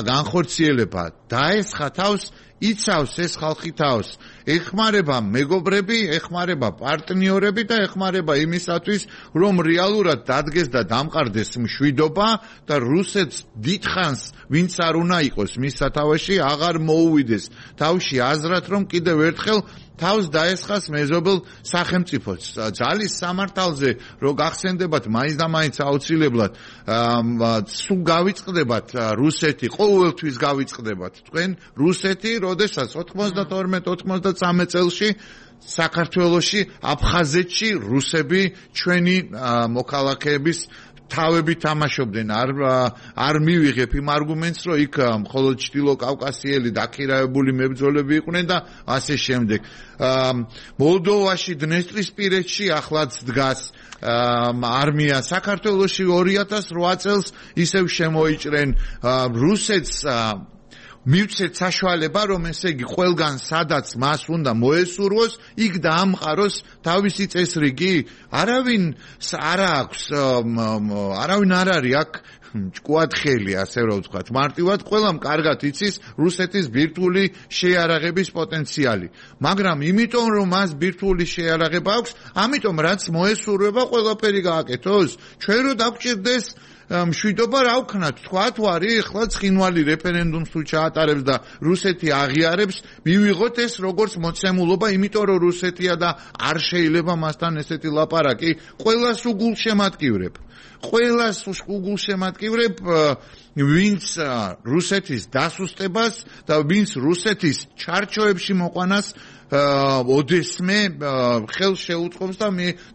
განხორციელება. დაესხა თავს, იცავს ეს ხალხი თავს. ეხმარება მეგობრები, ეხმარება პარტნიორები და ეხმარება იმისათვის, რომ რეალურად დადგეს და დამყარდეს მშვიდობა და რუსეთს დიდხანს ვინც არ უნდა იყოს მის სათავეში, აღარ მოუვიდეს თავში აზრად, რომ კიდევ ერთხელ თავს დაესხას მეზობელ სახელმწიფოს. ძალის სამართალზე რო გახსენდებათ მაინც და მაინც აუცილებლად სულ გავიწყდებათ რუსეთი, ყოველთვის გავიწყდებათ თქვენ რუსეთი, როდესაც 92-93 წელში საქართველოში, აფხაზეთში რუსები ჩვენი მოქალაქეების თავები თამაშობდნენ არ მივიღებ იმ არგუმენტს რომ იქ მხოლოდ ჩრდილო კავკასიელი დაქირავებული მებრძოლები იყვნენ და ასე შემდეგ მოლდოვაში დნესტრისპირეთში ახლაც დგას არმია საქართველოში 2008 წელს ისევ შემოიჭრენ რუსეთს მივცეთ საშუალება რომ ესე იგი ყველგან სადაც მას უნდა მოესურვოს იქ დაამყაროს თავისი წესრიგი არავინ არ აქვს არავინ არ არის აქ ჭკუათხელი ასე რომ ვთქვათ მარტივად ყველამ კარგად იცის რუსეთის ბირთვული შეიარაღების პოტენციალი მაგრამ იმიტომ რომ მას ბირთვული შეიარაღება აქვს ამიტომ რაც მოესურვება ყველაფერი გააკეთოს ჩვენ რო დაგვჭირდეს მშვიდობა რა ვქნათ თქვათ ვარი ახლა ცხინვალი რეფერენდუმს თუ ჩაატარებს და რუსეთი აღიარებს მივიღოთ ეს როგორც მოცემულობა იმიტომ რომ რუსეთია და არ შეიძლება მასთან ესეთი ლაპარაკი ყველას უგულშემატკივრებ ვინც რუსეთის დასუსტებას და ვინც რუსეთის ჩარჩოებში მოყვანას ოდესმე ხელს შეუწყობს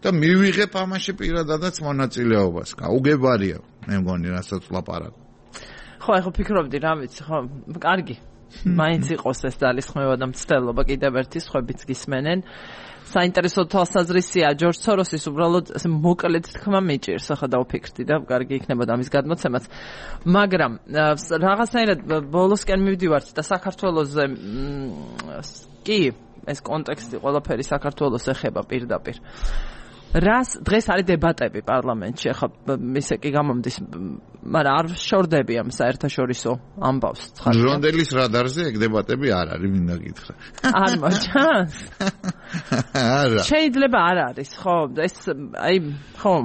და მივიღებ ამაში პირადადაც მონაწილეობას. გაუგებარია, მე მგონი რასაც ლაპარაკ. ხო, ახლა ფიქრობდი რა ვიცი, ხო, კარგი. მაინც იყოს ეს ძალისხმევა და მცდელობა კიდევ ერთი სხვებიც გისმენენ. საინტერესო თვალსაზრისია ჯორჯ სოროსის უბრალოდ მოკლედ თქმა მიჭირს ახლა დავფიქრდი და კარგი იქნებოდა ამის გადმოცემაც მაგრამ რაღაცნაირად ბოლოსკენ მივდივართ და საქართველოზე კი ეს კონტექსტი ყველაფერი საქართველოს ეხება პირდაპირ რას დღეს არის დებატები პარლამენტში ახლა ისე კი გამომდის მაგრამ არ შორდები ამ საერთაშორისო ამბავს ჟონდელის რადარზე ეგ დებატები არ არის მინდა გითხრა არ მოჩანს არა შეიძლება არ არის ხო ეს აი ხო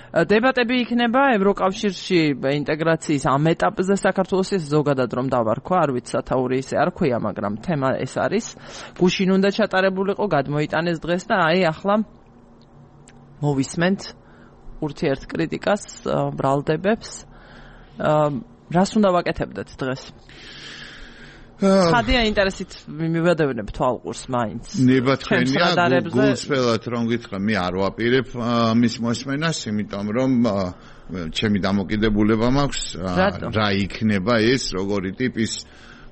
დებატები იქნება ევროკავშირში ინტეგრაციის ამ ეტაპზე საქართველოს ზოგადად რომ დავარქვა არ ვიცი სათაური ისე არ ქვია მაგრამ თემა ეს არის გუშინ უნდა ჩატარებულიყო გადმოიტანეს დღეს და აი ახლა მოვისმენთ ურთიერთკრიტიკას ბრალდებებს რას უნდა ვაკეთებდეთ დღეს ხადია ინტერესით მივადევნებ თვალყურს მაინც ნებათქენია გულწრფელად რომ გითხრა მე არ ვაპირებ მის მოსმენას იმიტომ რომ ჩემი დამოკიდებულება მაქვს რა იქნება ეს როგორი ტიპის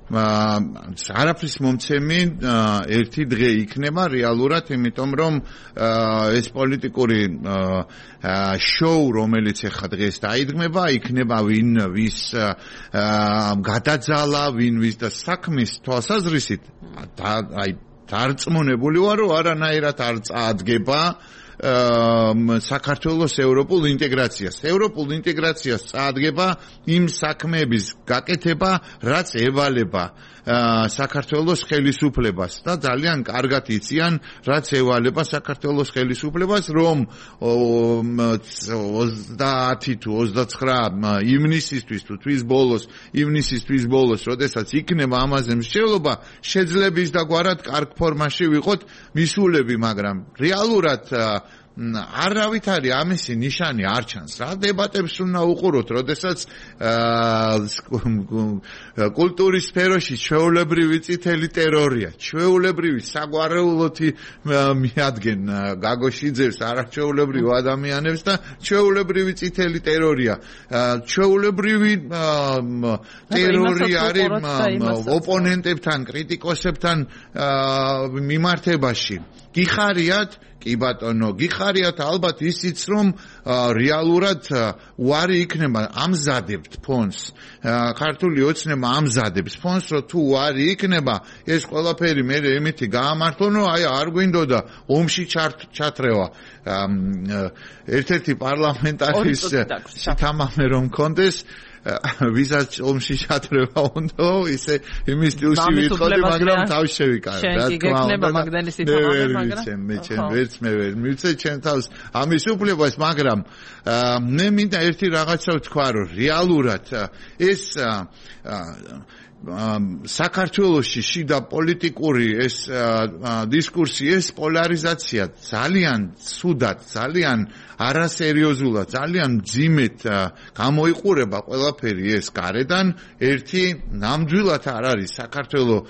არაფრის მომცემი ერთი დღე იქნება რეალურად იმიტომ რომ ეს პოლიტიკური შოუ რომელიც ახლა დღეს დაიდგმება იქნება ვინ ვის გადაძალა ვინ ვის და საქმის თვალსაზრისით აი დარწმუნებული ვარ რომ არანაირად არ წაადგება საქართველოს ევროპულ ინტეგრაციას წაადგება იმ საქმეების გაკეთება რაც ევალება საქართველოს ხელისუფლებას და ძალიან კარგად იციან რაც ევალება საქართველოს ხელისუფლებას რომ 30 თუ 29 ივნისისთვის თუ თვის ბოლოს როდესაც იქნება ამაზე მსჯელობა შეძლების და გვარად კარგ ფორმაში ვიყოთ მისულები მაგრამ რეალურად არავით არის ამისი ნიშანი არ ჩანს რა დებატებს უნდა უყუროთ როდესაც კულტურის სფეროში ჩვეულებრივი წითელი ტერორია ჩვეულებრივი საგვარეულოთი მიადგენ გაგოშიძევს არაჩვეულებრივ ადამიანებს და ჩვეულებრივი წითელი ტერორია ჩვეულებრივი ტერორი არის ოპონენტებთან კრიტიკოსებთან მიმართებაში გიხარიათ კი ბატონო გიხარიათ ალბათ ისიც რომ რეალურად უარი იქნება ამზადებთ ფონს ქართული ოცნება ამზადებს ფონს რომ თუ უარი იქნება ეს ყველაფერი მე ემეთი გაამართლონ რომ აი არ გვინდოდა ომში ჩათრევა ერთ-ერთი პარლამენტარის თამამე რომ კონდეს ვისაც ომში ჩათრევა უნდა ისე იმის სტილში ვიტყოდი მაგრამ თავში შევიკავე რა თქმა უნდა მაგდანის თამამე მაგრამ მე ვერ მივცე ჩემ თავს ამის უფლებას მაგრამ მე მინდა ერთი რაღაცა ვთქვა რომ რეალურად ეს საქართველოში შიდა პოლიტიკური ეს დისკურსი ეს პოლარიზაცია ძალიან ცუდად ძალიან არასერიოზულად ძალიან ძიმეთ გამოიყურება ყველაფერი ეს გარედან ერთი ნამდვილად არ არის საქართველოს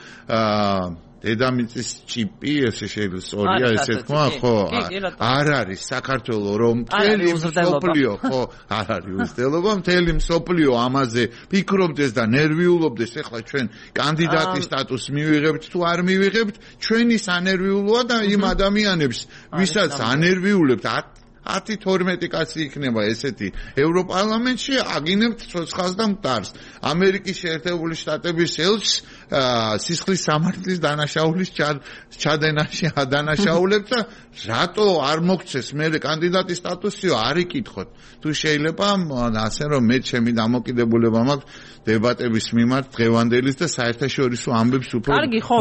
დედამიწის čipი ესე შეიძლება სწორია ესე თქვა ხო არ არის საქართველოს რომ მთელი მსოფლიო ხო არ არის უცდელობა მთელი მსოფლიო ამაზე ფიქრობდეს და ნერვიულობდეს ეხლა ჩვენ კანდიდატის სტატუსს მივიღებთ თუ არ მივიღებთ ჩვენი სანერვიულოა და იმ ადამიანებს ვისაც ანერვიულებთ 10-12 კაცი იქნება ესეთი ევროპარლამენტში აგინებთ ცოცხალს და მტარს ამერიკის შეერთებული შტატების ელჩს სისხლის სამართლის დანაშაულის ჩადენაში ადანაშაულებთ და რატო არ მოგცეს მე კანდიდატის სტატუსიო არ იკითხოთ თუ შეიძლება ასე რომ მე ჩემი დამოკიდებულება მაქვს დებატების მიმართ დღევანდელის და საერთაშორისო ამბებს უფრო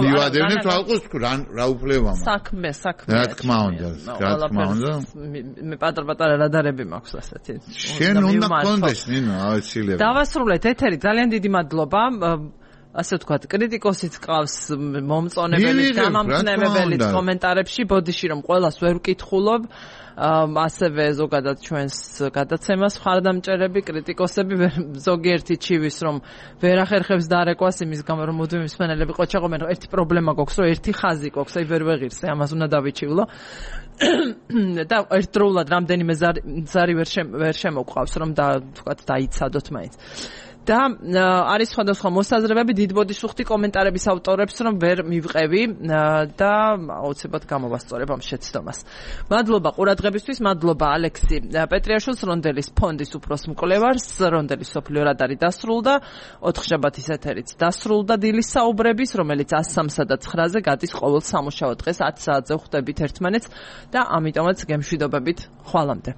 მივადევნებ თვალყოს რა უფლება მაქვს საქმე რა თქმა უნდა მე პატარ-პატარა რადარები მაქვს ასეთი შენ უნდა გქონდეს ნინო აუცილებლად დავასრულეთ ეთერი ძალიან დიდი მადლობა ასე ვთქვათ კრიტიკოსიც ყავს მომწონებელი გამამხნევებელი კომენტარებში ბოდიში რომ ყველას ვერ ვკითხულობ ასევე ზოგადად ჩვენს გადაცემას ხარდამჭერები კრიტიკოსები ზოგიერთი ჩივის რომ ვერ ახერხებს დარეკვას იმის გამო რომ მუდმივი მსმენელები ყოჩაღობენ რომ ერთი პრობლემა გვაქვს რომ ერთი ხაზი გვაქვს აი ვერ ვეღირსე ამას უნდა დავიჩივლო და ერთდროულად რამდენიმე ზარი ვერ შემოგვყავს რომ ვთქვათ დაიცადოთ მაინც და არის სხვადასხვა მოსაზრებები დიდ ბოდიშს ვხვდი კომენტარების ავტორებს რომ ვერ მივყევი და აუცილებლად გამოვასწორებ ამ შეცდომას. მადლობა ყურადღებისთვის, მადლობა ალექსი პეტრიაშვილს რონდელის ფონდის უფროს მკვლევარს, რონდელის სოფლიო რადარი დასრულდა, 4 შაბათის ეთერიც დასრულდა დილის საუბრების, რომელიც 103-სა და 9-ზე გადის ყოველ სამუშაო დღეს 10 საათზე ხვდებით ერთმანეთს და ამიტომაც გემშვიდობებით ხვალამდე.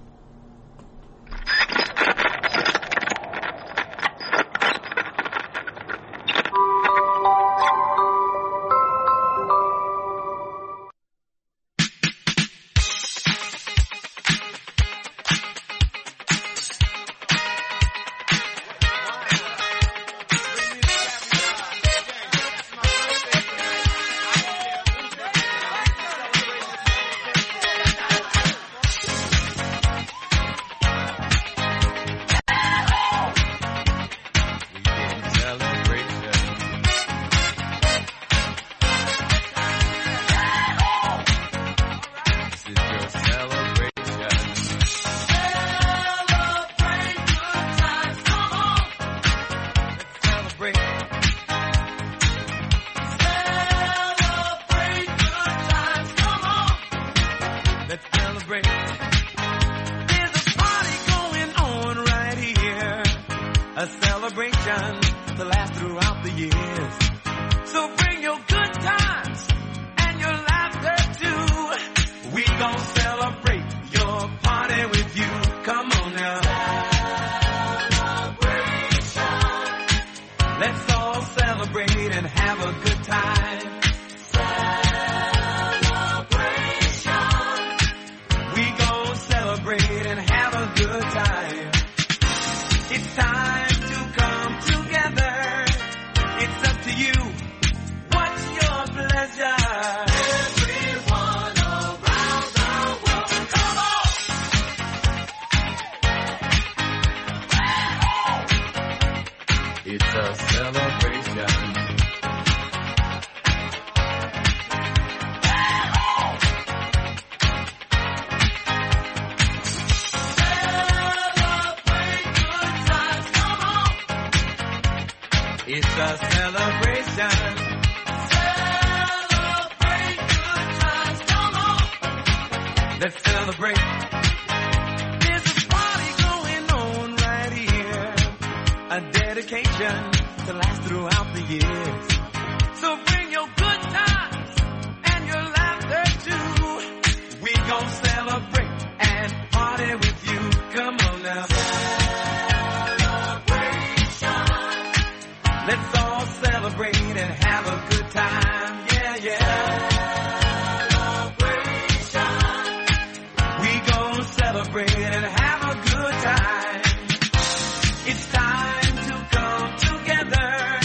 It's time to come together.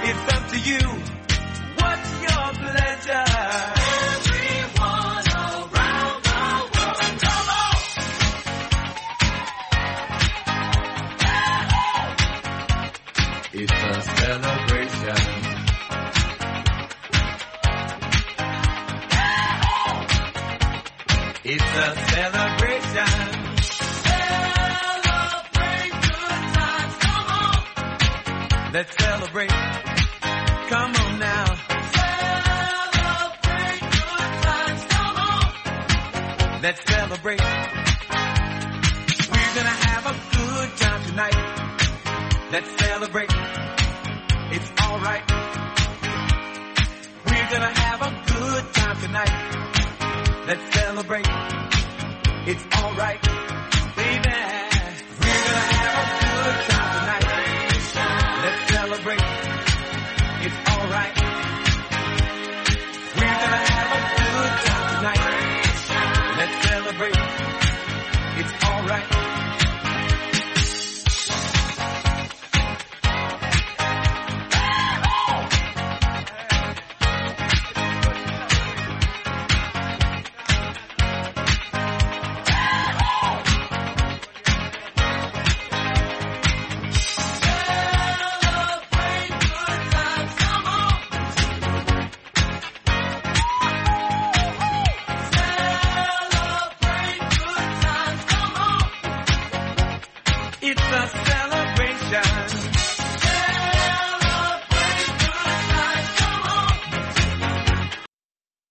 It's the It's a celebration. Celebrate good times, come on. Let's celebrate. Come on now. Celebrate good times, come on. Let's celebrate. We're gonna have a good time tonight. Let's celebrate. It's alright. We're gonna have a good time tonight. Let's celebrate. It's alright.